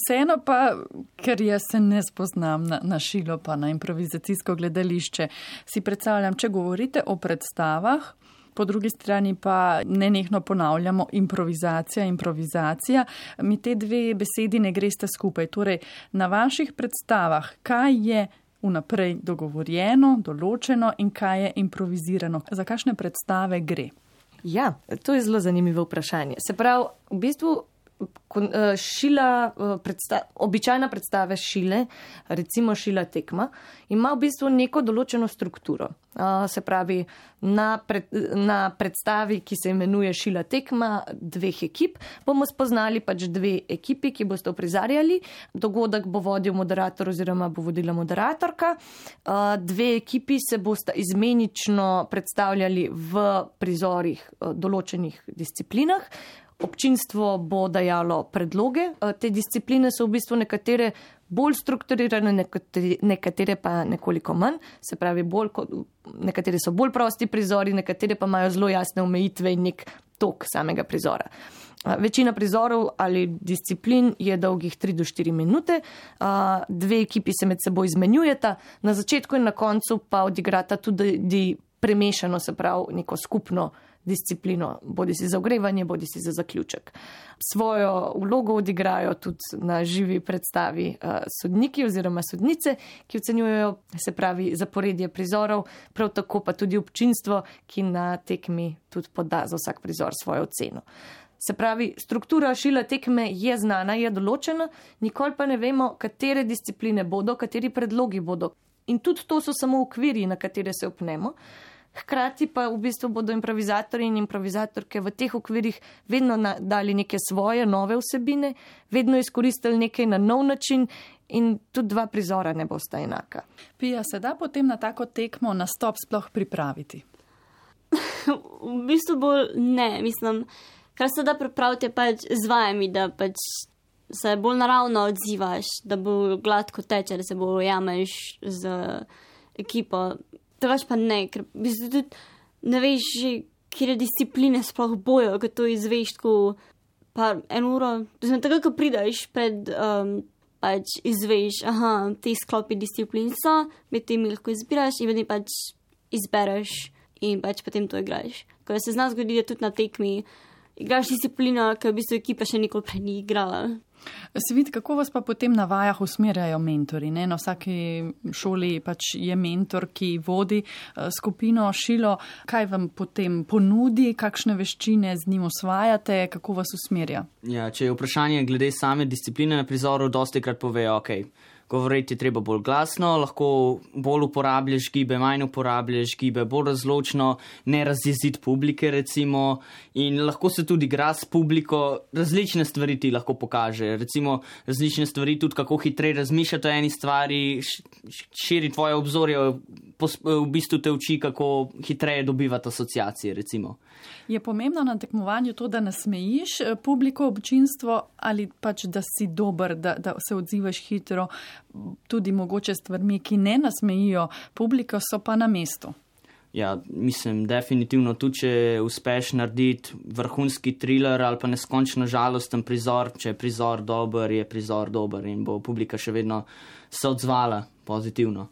[SPEAKER 2] Vseeno pa, ker jaz se ne spoznam na, na šilo pa na improvizacijsko gledališče, si predstavljam, če govorite o predstavah, po drugi strani pa nenehno ponavljamo improvizacija, improvizacija. Mi te dve besedi ne greste skupaj. Torej, na vaših predstavah, kaj je vnaprej dogovorjeno, določeno in kaj je improvizirano? Za kakšne predstave gre?
[SPEAKER 6] Ja, to je zelo zanimivo vprašanje. Se pravi, v bistvu šila, predsta, običajna predstave šile, recimo šila tekma, ima v bistvu neko določeno strukturo. Se pravi, na, pred, na predstavi, ki se imenuje šila tekma dveh ekip, bomo spoznali pač dve ekipi, ki boste uprizarjali. Dogodek bo vodil moderator oziroma bo vodila moderatorka. Dve ekipi se boste izmenično predstavljali v prizorih določenih disciplinah. Občinstvo bo dajalo predloge. Te discipline so v bistvu nekatere bolj strukturirane, nekatere, nekatere pa nekoliko manj. Se pravi, bolj, nekatere so bolj prosti prizori, nekatere pa imajo zelo jasne omejitve in nek tok samega prizora. Večina prizorov ali disciplin je dolgih tri do štiri minute. Dve ekipi se med seboj izmenjujeta, na začetku in na koncu pa odigrata tudi premešano, se pravi, neko skupno disciplino, bodi si za ogrevanje, bodi si za zaključek. Svojo vlogo odigrajo tudi na živi predstavi uh, sodniki oziroma sodnice, ki ocenjujejo, se pravi, zaporedje prizorov, prav tako pa tudi občinstvo, ki na tekmi tudi poda za vsak prizor svojo oceno. Se pravi, struktura šila tekme je znana, je določena, nikoli pa ne vemo, katere discipline bodo, kateri predlogi bodo. In tudi to so samo okviri, na katere se opnemo. Hkrati pa v bistvu bodo improvizatorji in improvizatorke v teh okvirih vedno dali neke svoje nove vsebine, vedno izkoristili nekaj na nov način in tudi dva prizora ne bosta enaka.
[SPEAKER 2] Pija, se da potem na tako tekmo nastop sploh pripraviti?
[SPEAKER 4] V bistvu bolj ne, mislim, kar se da pripraviti je pač z vajami, da pač se bolj naravno odzivaš, da bo gladko teče, da se bo jameš z ekipo. Drugač pa ne, ker v bistvu tudi ne veš, kjer discipline sploh bojo, ko to izveš tako pa en uro. Tako, ko prideš pred, um, pač izveš, aha, te sklopi disciplin so, med temi lahko izbiraš in vedno pač izbereš in pač potem to igraš. Ko se zna zgodi, da tudi na tekmi igraš disciplino, ki v bistvu ekipa še nikoli prej ni igrala.
[SPEAKER 2] Svit, kako vas pa potem na vajah usmerjajo mentori? Ne? Na vsaki šoli pač je mentor, ki vodi skupino šilo. Kaj vam potem ponudi, kakšne veščine z njim osvajate, kako vas usmerja?
[SPEAKER 3] Ja, če je vprašanje glede same discipline na prizoru, dosti krat povejo, ok, govoriti je treba bolj glasno, lahko bolj uporabljaš gibe, manj uporabljaš gibe, bolj razločno, ne razjeziti publike recimo in lahko se tudi igra s publiko, različne stvari ti lahko pokaže, recimo različne stvari tudi kako hitreje razmišljati o eni stvari, širi tvoje obzorje, v bistvu te uči, kako hitreje dobivati asociacije recimo.
[SPEAKER 2] Je pomembno na tekmovanju to, da nasmejiš publiko, občinstvo ali pač, da si dober, da, da se odzivaš hitro, tudi mogoče stvarmi, ki ne nasmejijo publiko, so pa na mestu.
[SPEAKER 3] Ja, mislim, definitivno tudi, če uspeš narediti vrhunski thriller ali pa neskončno žalosten prizor, če je prizor dober, je prizor dober in bo publika še vedno se odzvala pozitivno.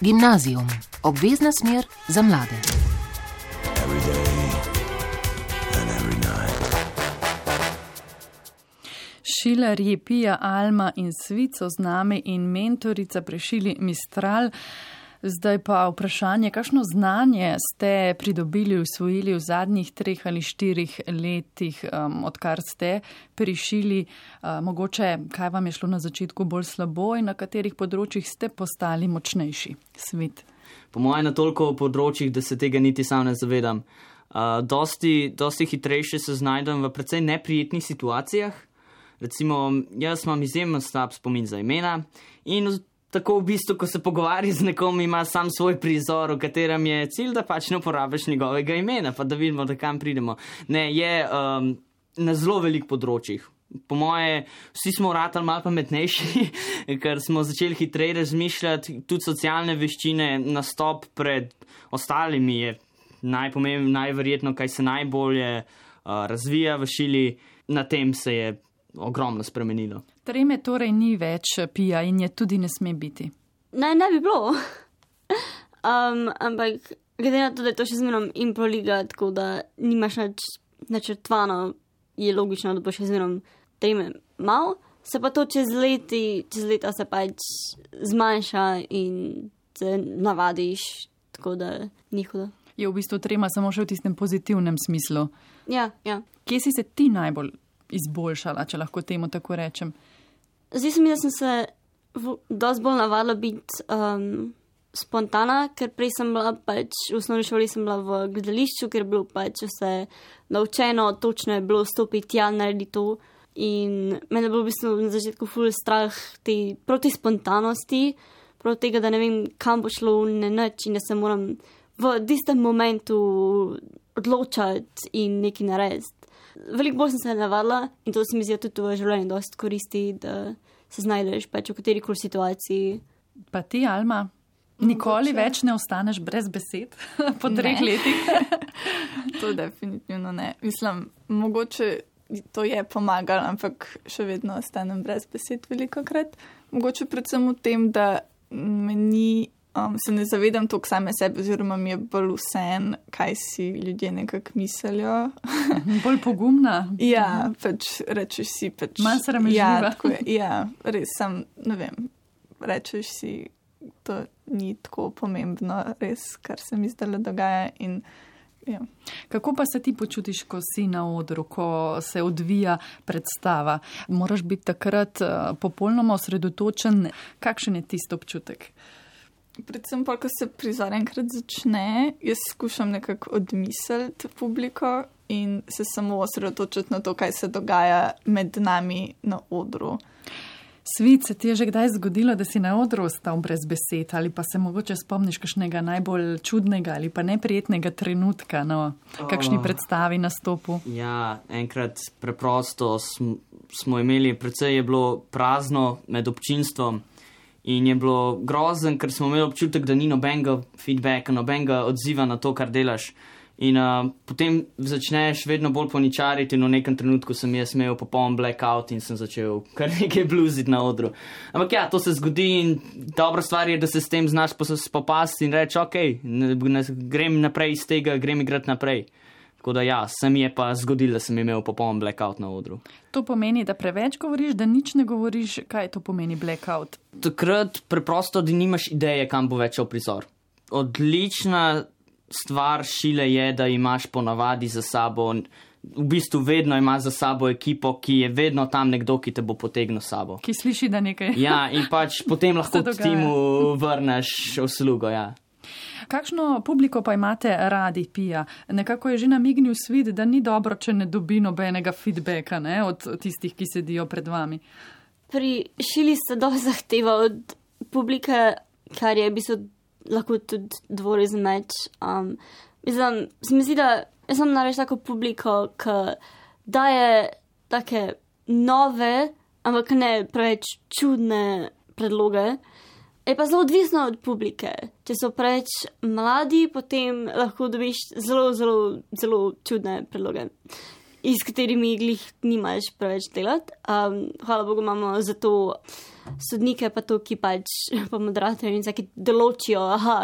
[SPEAKER 1] Gimnazijum. Obvezna smer za mlade.
[SPEAKER 2] Šilarji Pija, Alma in Svico z nami in mentorica pri šili Mistral. Zdaj pa vprašanje, kakšno znanje ste pridobili, usvojili v zadnjih treh ali štirih letih, um, odkar ste pri šili, uh, mogoče kaj vam je šlo na začetku bolj slabo in na katerih področjih ste postali močnejši? Svit.
[SPEAKER 3] Po mojem na toliko področjih, da se tega niti sam ne zavedam. Uh, dosti, dosti hitrejše se znajdem v precej neprijetnih situacijah. Recimo, jaz imam izjemen slab spomin za imena in tako v bistvu, ko se pogovarja z nekom, ima sam svoj prizor, v katerem je cilj, da pač ne uporabiš njegovega imena, pa da vidimo, da kam pridemo. Ne, je um, na zelo velik področjih. Po moje, vsi smo ratali malo pametnejši, ker smo začeli hitreje razmišljati, tudi socialne veščine, nastop pred ostalimi je najpomembnejše, najverjetno, kaj se najbolje uh, razvija v šili, na tem se je ogromno spremenilo.
[SPEAKER 2] Treme torej ni več, Pija, in je tudi ne sme biti.
[SPEAKER 4] Ne, ne bi bilo. um, ampak glede na to, da je to še zmerom improliga, tako da nimaš nič načrtvano, je logično, da boš še zmerom treme mal. Se pa to čez leti, čez leta se pač zmanjša in se navadiš, tako da ni hudo.
[SPEAKER 2] Je v bistvu trema samo še v tistem pozitivnem smislu.
[SPEAKER 4] Ja, ja.
[SPEAKER 2] Kje si se ti najbolj izboljšala, če lahko temu tako rečem?
[SPEAKER 4] Zdaj se mi, da sem se v, dosti bolj navadila biti um, spontana, ker prej sem bila pač, v osnovni šoli sem bila v gledališču, ker je bilo pač vse naučeno, točno je bilo stopiti tja, narediti to. In mene je bilo v bistvu na začetku ful strah te proti spontanosti, proti tega, da ne vem, kam bo šlo, ne nič in da se moram v tistem momentu odločati in nekaj narediti. Veliko bolj sem se navadila in to se mi zdi tudi v življenju dosti koristi, da se znajdeš pač v katerikoli situaciji.
[SPEAKER 2] Pa ti, Alma, nikoli
[SPEAKER 5] Mogoče.
[SPEAKER 2] več ne ostaneš brez besed po treh
[SPEAKER 5] Ne.
[SPEAKER 2] letih?
[SPEAKER 5] To definitivno ne. Mislim, mogoče to je pomagalo, ampak še vedno ostanem brez besed velikokrat. Mogoče predvsem v tem, da me ni, um, se ne zavedam toliko same sebe, oziroma mi je bolj vseeno, kaj si ljudje nekako mislijo.
[SPEAKER 2] Bolj pogumna?
[SPEAKER 5] Ja, pač rečeš si pač...
[SPEAKER 2] Manj sramežljiva.
[SPEAKER 5] Ja, tako je, ja, res sem, ne vem, rečeš si, to ni tako pomembno, res, kar se mi zdaj dogaja in ja.
[SPEAKER 2] Kako pa se ti počutiš, ko si na odru, ko se odvija predstava? Moraš biti takrat uh, popolnoma osredotočen. Kakšen je tisti občutek?
[SPEAKER 5] Predvsem pa, ko se prizor enkrat začne, jaz skušam nekako odmisliti publiko in se samo osredotočiti na to, kaj se dogaja med nami na odru.
[SPEAKER 2] Svit, se ti je že kdaj zgodilo, da si na odru ostal brez besed ali pa se mogoče spomniš kakšnega najbolj čudnega ali pa neprijetnega trenutka na kakšni
[SPEAKER 3] Oh.
[SPEAKER 2] predstavi, nastopu?
[SPEAKER 3] Ja, enkrat preprosto sm, smo imeli, precej je bilo prazno med občinstvom in je bilo grozen, ker smo imeli občutek, da ni nobenega feedbacka, nobenega odziva na to, kar delaš. In uh, potem začneš vedno bolj poničariti in v nekem trenutku sem jaz imel popoln blackout in sem začel kar nekaj bluziti na odru. Ampak ja, to se zgodi in dobra stvar je, da se s tem znaš spopasti in reči, ok, ne, ne, grem naprej iz tega, grem igrati naprej. Tako da ja, se mi je pa zgodilo, da sem imel popoln blackout na odru.
[SPEAKER 2] To pomeni, da preveč govoriš, da nič ne govoriš. Kaj to pomeni blackout?
[SPEAKER 3] Takrat preprosto, da nimaš ideje, kam bo več šel prizor. Odlična stvar šile je, da imaš ponavadi za sabo v bistvu vedno ima za sabo ekipo, ki je vedno tam nekdo, ki te bo potegnil s sabo.
[SPEAKER 2] Ki sliši, da nekaj.
[SPEAKER 3] Ja, in pač potem lahko timu vrneš uslugo, ja.
[SPEAKER 2] Kakšno publiko pa imate radi, Pija? Nekako je že namignil svet, da ni dobro, če ne dobi nobenega feedbacka, ne, od tistih, ki sedijo pred vami.
[SPEAKER 4] Pri šili se dosti zahteva od publike, kar je v bistvu lahko tudi dvorezen meč. Um, mislim, se mi zdi, da jaz sem nareč tako publiko, ki daje take nove, ampak ne preveč čudne predloge. Je pa zelo odvisno od publike. Če so preveč mladi, potem lahko dobiš zelo, zelo, zelo čudne predloge, iz katerimi glih nimaš preveč delati. Um, hvala Bogu imamo za to sodnike, pa to, ki pač pa moderatorji in vsaki določijo, aha,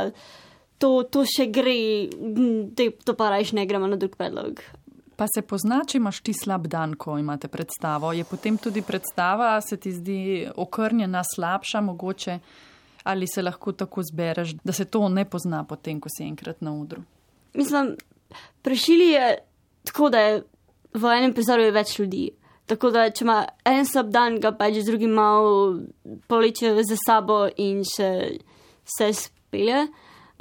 [SPEAKER 4] to, to še gre, to pa rajš ne gremo na drug predlog.
[SPEAKER 2] Pa se pozna, če imaš ti slab dan, ko imate predstavo. Je potem tudi predstava, se ti zdi okrnjena, slabša mogoče? Ali se lahko tako zbereš, da se to ne pozna potem, ko si enkrat na odru?
[SPEAKER 4] Mislim, prešili je tako, da je v enem prizoru več ljudi. Tako da, če ima en slab dan, ga pač z drugim malo poleče za sabo in še se spelje.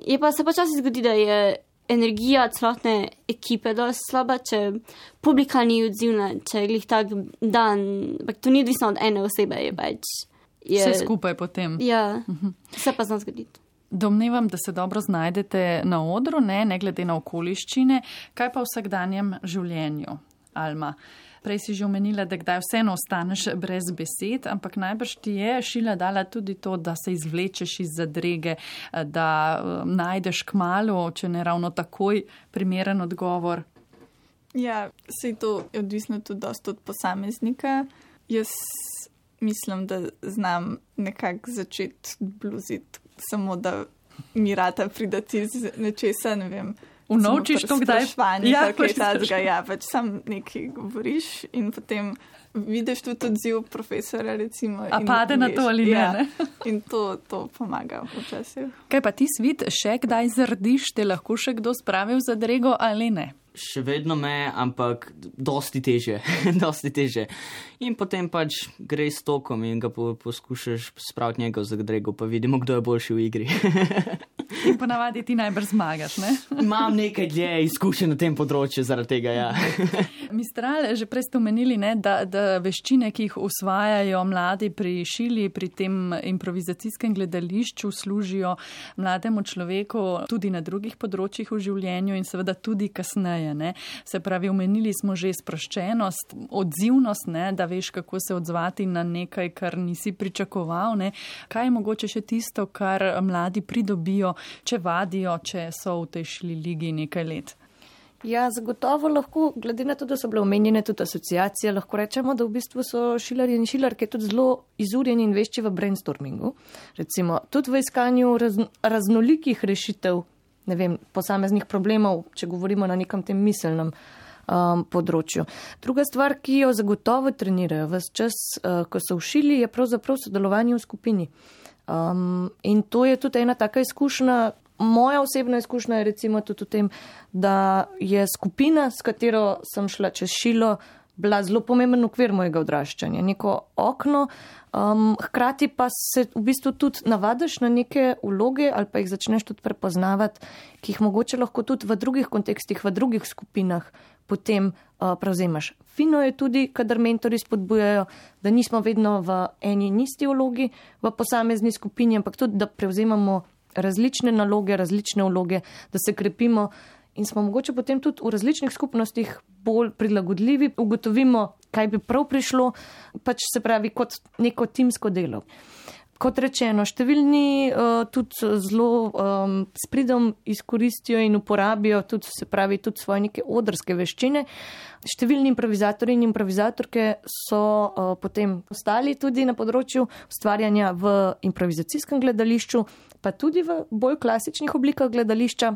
[SPEAKER 4] Je pa se počasi zgodi, da je energija celotne ekipe dosti slaba, če publika ni odzivna, če je glih tak dan, ampak to ni odvisno od ene osebe, je pač. Je,
[SPEAKER 2] vse skupaj potem.
[SPEAKER 4] Ja, vse pa zna zgoditi.
[SPEAKER 2] Domnevam, da se dobro znajdete na odru, ne, ne glede na okoliščine. Kaj pa v vsakdanjem življenju, Alma? Prej si že omenila, da kdaj vseeno ostaneš brez besed, ampak najbrž ti je šila dala tudi to, da se izvlečeš iz zadrege, da um, najdeš kmalu, če ne ravno takoj, primeren odgovor.
[SPEAKER 5] Ja, sej to je odvisno tudi dosti od posameznika. Jaz mislim, da znam nekako začeti bluziti, samo da mi rata pridati iz nečesa, ne vem.
[SPEAKER 2] Unovčiš to kdaj?
[SPEAKER 5] Ja, pač tazga, ja, pač sam nekaj govoriš in potem vidiš tudi odziv profesora, recimo.
[SPEAKER 2] A pade na to ali ne,
[SPEAKER 5] ja,
[SPEAKER 2] ne?
[SPEAKER 5] In to, to pomaga včasih.
[SPEAKER 2] Kaj pa ti, Svit, še kdaj zardiš, te lahko še kdo spravi v zadrego ali ne?
[SPEAKER 3] Še vedno me, ampak dosti teže, dosti teže. In potem pač gre s tokom in ga po, poskušaš spraviti njega v zadrego, pa vidimo, kdo je boljši v igri.
[SPEAKER 2] In ponavadi ti najbrž zmagaš, ne?
[SPEAKER 3] Imam nekaj dlje izkušenj na tem področju zaradi tega, ja.
[SPEAKER 2] Mistral, že prej ste omenili, ne, da, da veščine, ki jih usvajajo mladi pri šili, pri tem improvizacijskem gledališču, služijo mlademu človeku tudi na drugih področjih v življenju in seveda tudi kasneje. Ne. Se pravi, omenili smo že sproščenost, odzivnost, ne, da veš, kako se odzvati na nekaj, kar nisi pričakoval. Ne. Kaj je mogoče še tisto, kar mladi pridobijo, če vadijo, če so v tej šli ligi nekaj let?
[SPEAKER 6] Ja, zagotovo lahko, glede na to, da so bile omenjene tudi asociacije, lahko rečemo, da v bistvu so šilarji in šilarke tudi zelo izurjeni in vešči v brainstormingu. Recimo, tudi v iskanju raz, raznolikih rešitev, ne vem, posameznih problemov, če govorimo na nekem tem miselnem um, področju. Druga stvar, ki jo zagotovo trenirajo ves čas, uh, ko so v šili, je pravzaprav sodelovanje v skupini. Um, in to je tudi ena taka izkušnja, moja osebna izkušnja je recimo tudi v tem, da je skupina, s katero sem šla čez šilo, bila zelo pomemben okvir mojega odraščanja, neko okno, um, hkrati pa se v bistvu tudi navadiš na neke vloge ali pa jih začneš tudi prepoznavati, ki jih mogoče lahko tudi v drugih kontekstih, v drugih skupinah potem uh, prevzemaš. Fino je tudi, kadar mentori spodbujajo, da nismo vedno v eni in isti vlogi v posamezni skupini, ampak tudi, da prevzemamo različne naloge, različne vloge, da se krepimo in smo mogoče potem tudi v različnih skupnostih bolj prilagodljivi, ugotovimo, kaj bi prav prišlo, pač se pravi kot neko timsko delo. Kot rečeno, številni uh, tudi zelo um, s pridom izkoristijo in uporabijo tudi, se pravi, tudi svoje neke odrske veščine. Številni improvizatorji in improvizatorke so uh, potem ostali tudi na področju ustvarjanja v improvizacijskem gledališču, pa tudi v bolj klasičnih oblikah gledališča.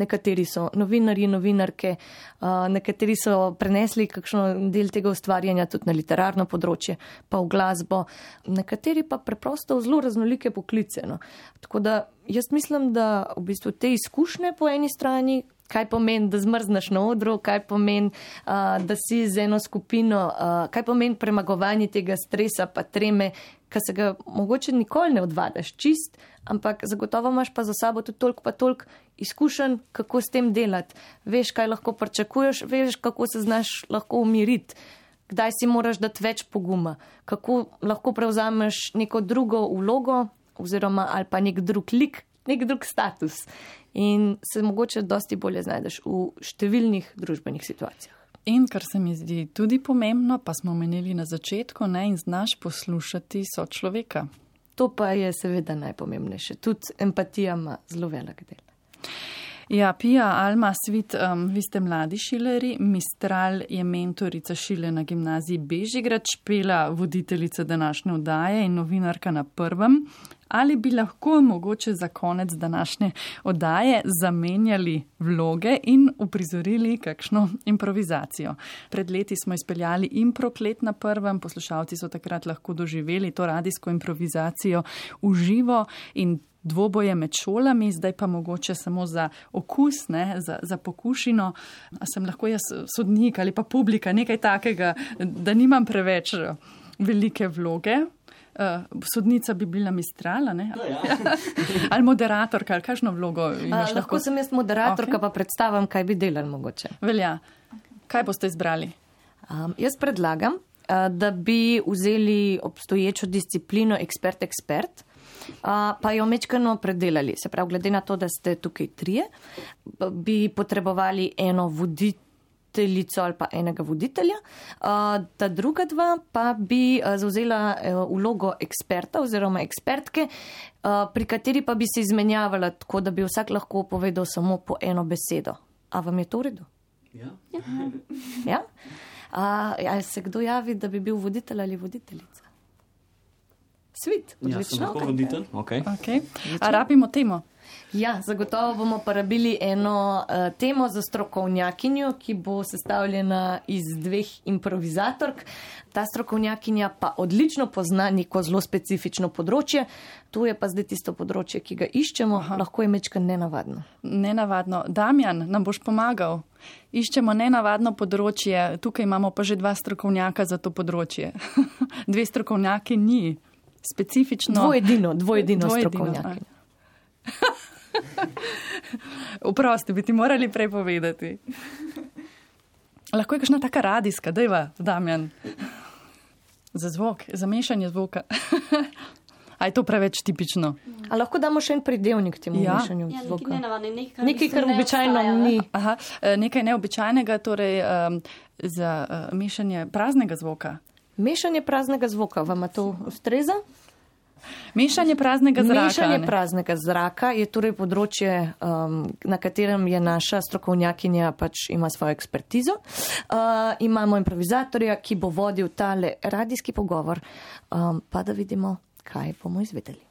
[SPEAKER 6] Nekateri so novinarji, novinarke, uh, nekateri so prenesli kakšno del tega ustvarjanja tudi na literarno področje, pa v glasbo, nekateri pa preprosto v zelo raznolike poklice. No. Tako da jaz mislim, da v bistvu te izkušnje po eni strani, kaj pomeni, da zmrzneš na odru, kaj pomeni, uh, da si z eno skupino, uh, kaj pomeni premagovanje tega stresa pa treme, ki se ga mogoče nikoli ne odvadaš čist, ampak zagotovo imaš pa za sabo tudi toliko pa toliko izkušenj, kako s tem delati. Veš, kaj lahko pričakuješ, veš, kako se znaš lahko umiriti, kdaj si moraš dati več poguma, kako lahko prevzameš neko drugo vlogo oziroma ali pa nek drug lik, nek drug status. In se mogoče dosti bolje znajdeš v številnih družbenih situacijah.
[SPEAKER 2] In kar se mi zdi tudi pomembno, pa smo omenili na začetku, ne, in znaš poslušati sočloveka.
[SPEAKER 6] To pa je seveda najpomembnejše. Tudi empatija ima zelo velik del.
[SPEAKER 2] Ja, Pija, Alma, Svit, um, vi ste mladi šileri, Mistral je mentorica šile na gimnaziji Bežigrad, Špela voditeljica današnje oddaje in novinarka na Prvem. Ali bi lahko mogoče za konec današnje oddaje zamenjali vloge in uprizorili kakšno improvizacijo? Pred leti smo izpeljali Improklet na Prvem, poslušalci so takrat lahko doživeli to radijsko improvizacijo v živo in dvoboje med šolami, zdaj pa mogoče samo za okus, ne, za, za pokušino. A sem lahko jaz sodnik ali pa publika, nekaj takega, da nimam preveč velike vloge. Uh, sodnica bi bila Mistrala, ne?
[SPEAKER 3] No, ja.
[SPEAKER 2] Ali moderatorka, ali kakšno vlogo imaš?
[SPEAKER 6] A, lahko sem jaz moderatorka, okay. Pa predstavim, kaj bi delali mogoče.
[SPEAKER 2] Velja. Kaj boste izbrali?
[SPEAKER 6] Um, jaz predlagam, uh, da bi vzeli obstoječo disciplino ekspert-ekspert, uh, pa jo mečkano predelali. Se pravi, glede na to, da ste tukaj trije, bi potrebovali eno voditelj, ali pa enega voditelja, ta druga dva pa bi zauzela vlogo eksperta oziroma ekspertke, pri kateri pa bi se izmenjavala tako, da bi vsak lahko povedal samo po eno besedo. A vam je to v redu?
[SPEAKER 3] Ja.
[SPEAKER 6] Ja? A, a se kdo javi, da bi bil voditelj ali voditeljica? Svit, odlično.
[SPEAKER 3] Ja, sem lahko voditelj. Okay.
[SPEAKER 2] Okay. A rabimo temo?
[SPEAKER 6] Ja, zagotovo bomo porabili eno uh, temo za strokovnjakinjo, ki bo sestavljena iz dveh improvizatork. Ta strokovnjakinja pa odlično pozna neko zelo specifično področje. To je pa zdaj tisto področje, ki ga iščemo. Aha. Lahko je mečkaj nenavadno.
[SPEAKER 2] Nenavadno. Damjan, nam boš pomagal? Iščemo nenavadno področje. Tukaj imamo pa že dva strokovnjaka za to področje. Dve strokovnjaki ni. Specifično.
[SPEAKER 6] Dvojedino, dvojedino, dvojedino strokovnjakinja.
[SPEAKER 2] Vprosti, bi ti morali prej povedati. Lahko je kakšna taka radijska, dajva, Damjan. Za zvok, za mešanje zvoka. A je to preveč tipično?
[SPEAKER 6] A lahko damo še en pridevnik temu
[SPEAKER 2] ja.
[SPEAKER 6] mešanju
[SPEAKER 4] ja,
[SPEAKER 6] zvoka?
[SPEAKER 4] Nekaj nenavadne, nekaj,
[SPEAKER 6] nekaj kar običajno ni.
[SPEAKER 2] Aha, nekaj neobičajnega, torej um, za uh, mešanje praznega zvoka.
[SPEAKER 6] Mešanje praznega zvoka, vam to ustreza?
[SPEAKER 2] Mešanje praznega zraka.
[SPEAKER 6] Mešanje
[SPEAKER 2] ne?
[SPEAKER 6] praznega zraka je torej področje, um, na katerem je naša strokovnjakinja pač ima svojo ekspertizo. Uh, imamo improvizatorja, ki bo vodil tale radijski pogovor, um, pa da vidimo, kaj bomo izvedeli.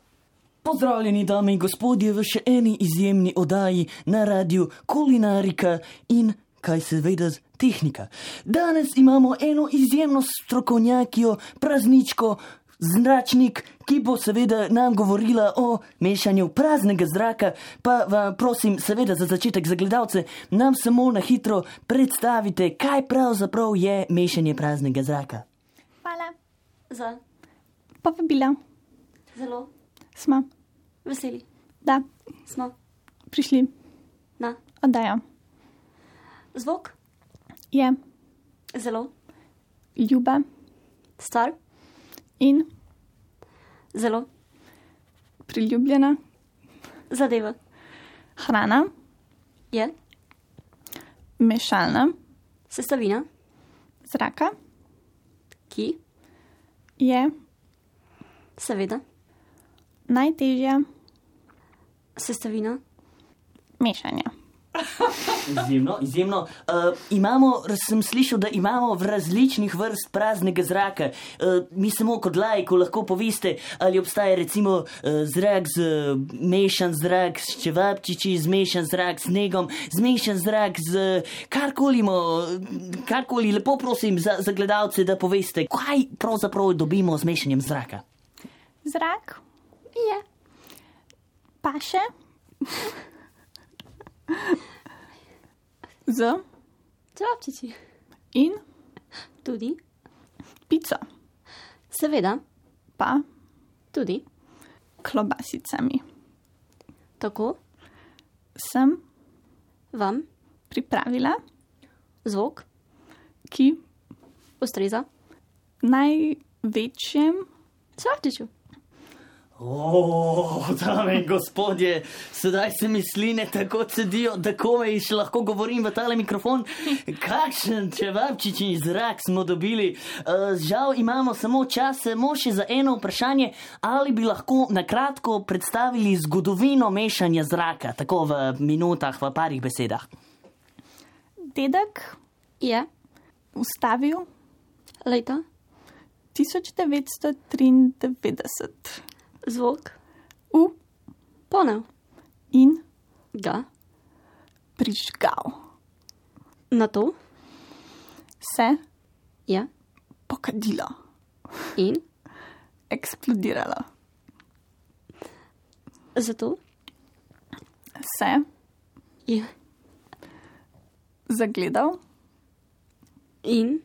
[SPEAKER 7] Pozdravljeni, dame in gospodje, v še eni izjemni oddaji na radiju Kulinarika in kaj seveda tehnika. Danes imamo eno izjemno strokovnjakijo, prazničko, zračnik, ki bo seveda nam govorila o mešanju praznega zraka, pa vam prosim seveda za začetek za gledalce, nam samo na hitro predstavite, kaj pravzaprav je mešanje praznega zraka.
[SPEAKER 5] Hvala.
[SPEAKER 4] Za.
[SPEAKER 5] Povabila.
[SPEAKER 4] Zelo.
[SPEAKER 5] Smo.
[SPEAKER 4] Veseli.
[SPEAKER 5] Da.
[SPEAKER 4] Smo.
[SPEAKER 5] Prišli.
[SPEAKER 4] Na.
[SPEAKER 5] Oddajo.
[SPEAKER 4] Zvok.
[SPEAKER 5] Je.
[SPEAKER 4] Zelo.
[SPEAKER 5] Ljuba.
[SPEAKER 4] Star.
[SPEAKER 5] In.
[SPEAKER 4] Zelo.
[SPEAKER 5] Priljubljena.
[SPEAKER 4] Zadeva.
[SPEAKER 5] Hrana.
[SPEAKER 4] Je.
[SPEAKER 5] Mešalna.
[SPEAKER 4] Sestavina.
[SPEAKER 5] Zraka.
[SPEAKER 4] Ki.
[SPEAKER 5] Je.
[SPEAKER 4] Seveda.
[SPEAKER 5] Najtežja.
[SPEAKER 7] Sestavina.
[SPEAKER 5] Mešanja.
[SPEAKER 7] Izjemno, izjemno. Uh, imamo, sem slišal, da imamo v različnih vrst praznega zraka. Uh, mi samo kot lajko lahko poveste, ali obstaja recimo uh, zrak z uh, mešan zrak s čevapčiči, zmešan zrak s snegom, zmešan zrak z karkoli, karkoli. Lepo prosim za, za gledalce, da poveste, kaj pravzaprav dobimo z mešanjem zraka.
[SPEAKER 5] Zrak je. Paše. Z
[SPEAKER 4] Čevapčiči.
[SPEAKER 5] in
[SPEAKER 4] Tudi.
[SPEAKER 5] pico,
[SPEAKER 4] Seveda.
[SPEAKER 5] pa
[SPEAKER 4] Tudi.
[SPEAKER 5] klobasicami.
[SPEAKER 4] Tako.
[SPEAKER 5] Sem
[SPEAKER 4] Vam.
[SPEAKER 5] pripravila,
[SPEAKER 4] Zvok.
[SPEAKER 5] ki
[SPEAKER 4] Ustreza.
[SPEAKER 5] največjem
[SPEAKER 4] Čevapčiču.
[SPEAKER 7] O, dame in gospodje, sedaj se mi sline tako cedijo, da komaj še lahko govorim v tale mikrofon. Kakšen čevapčični zrak smo dobili. Uh, žal imamo samo čas, samo še za eno vprašanje, ali bi lahko nakratko predstavili zgodovino mešanja zraka, tako v minutah, v parih besedah.
[SPEAKER 5] dedek
[SPEAKER 4] Je.
[SPEAKER 5] ustavil
[SPEAKER 4] Leta.
[SPEAKER 5] tisoč devetsto triindevetdeset
[SPEAKER 4] Zvok.
[SPEAKER 5] v
[SPEAKER 4] Ponev.
[SPEAKER 5] in
[SPEAKER 4] Ga.
[SPEAKER 5] prižgal.
[SPEAKER 4] Na to.
[SPEAKER 5] Se
[SPEAKER 4] Je.
[SPEAKER 5] pokadilo,
[SPEAKER 4] In.
[SPEAKER 5] eksplodiralo.
[SPEAKER 4] Zato.
[SPEAKER 5] Se
[SPEAKER 4] Je.
[SPEAKER 5] zagledal,
[SPEAKER 4] In.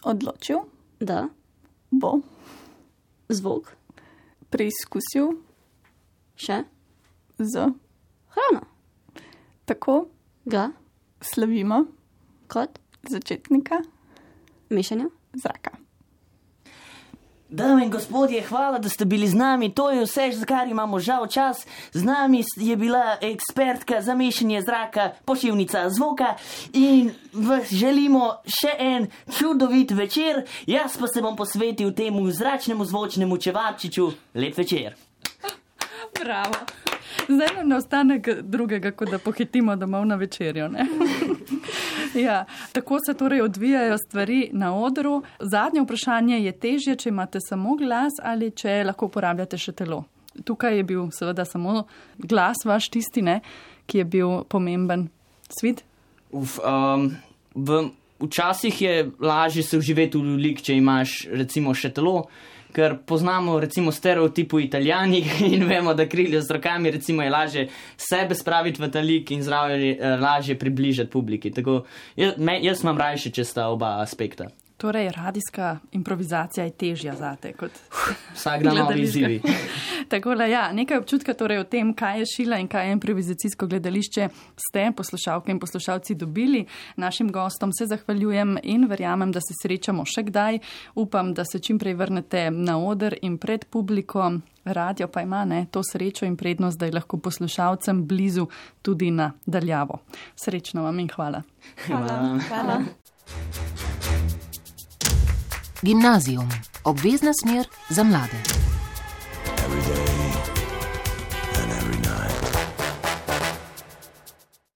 [SPEAKER 5] odločil,
[SPEAKER 4] Da.
[SPEAKER 5] bo
[SPEAKER 4] Zvok.
[SPEAKER 5] preizkusil
[SPEAKER 4] Še.
[SPEAKER 5] z.
[SPEAKER 4] Hrano.
[SPEAKER 5] Tako
[SPEAKER 4] Ga.
[SPEAKER 5] slavimo
[SPEAKER 4] Kot.
[SPEAKER 5] začetnika
[SPEAKER 4] Mešanja.
[SPEAKER 5] zraka.
[SPEAKER 7] Dame in gospodje, hvala, da ste bili z nami. To je vse, za kar imamo žal čas. Z nami je bila ekspertka za mešanje zraka, poševnica zvoka in vas želimo še en čudovit večer. Jaz pa se bom posvetil temu zračnemu zvočnemu čevapčiču. Lep večer.
[SPEAKER 2] Bravo. Zdaj nam ne ostane drugega, kot da pohitimo domov na večerjo. Ne? Ja, tako se torej odvijajo stvari na odru. Zadnje vprašanje je težje, če imate samo glas ali če lahko uporabljate še telo. Tukaj je bil seveda samo glas vaš tisti, ne, ki je bil pomemben. Svid?
[SPEAKER 3] Uf, um, v, včasih je lažje se vživeti v lik, če imaš recimo še telo, ker poznamo recimo stereotipu Italijanih in vemo, da kriljo z rokami recimo je lažje sebe spraviti v ta lik in zraven lažje približati publiki. Tako, jaz, me, jaz imam rajši, če sta oba aspekta.
[SPEAKER 2] Torej, radijska improvizacija je težja zate kot
[SPEAKER 3] Vsak dan novi izzivi.
[SPEAKER 2] Takole, ja, nekaj občutka torej o tem, kaj je šila in kaj je improvizacijsko gledališče, ste poslušalke in poslušalci dobili. Našim gostom se zahvaljujem in verjamem, da se srečamo še kdaj. Upam, da se čim prej vrnete na oder in pred publiko. Radio pa ima ne, to srečo in prednost, da je lahko poslušalcem blizu tudi na daljavo. Srečno vam in hvala.
[SPEAKER 5] Hvala. Hvala.
[SPEAKER 1] Gimnazijum. Obvezna smer za mlade.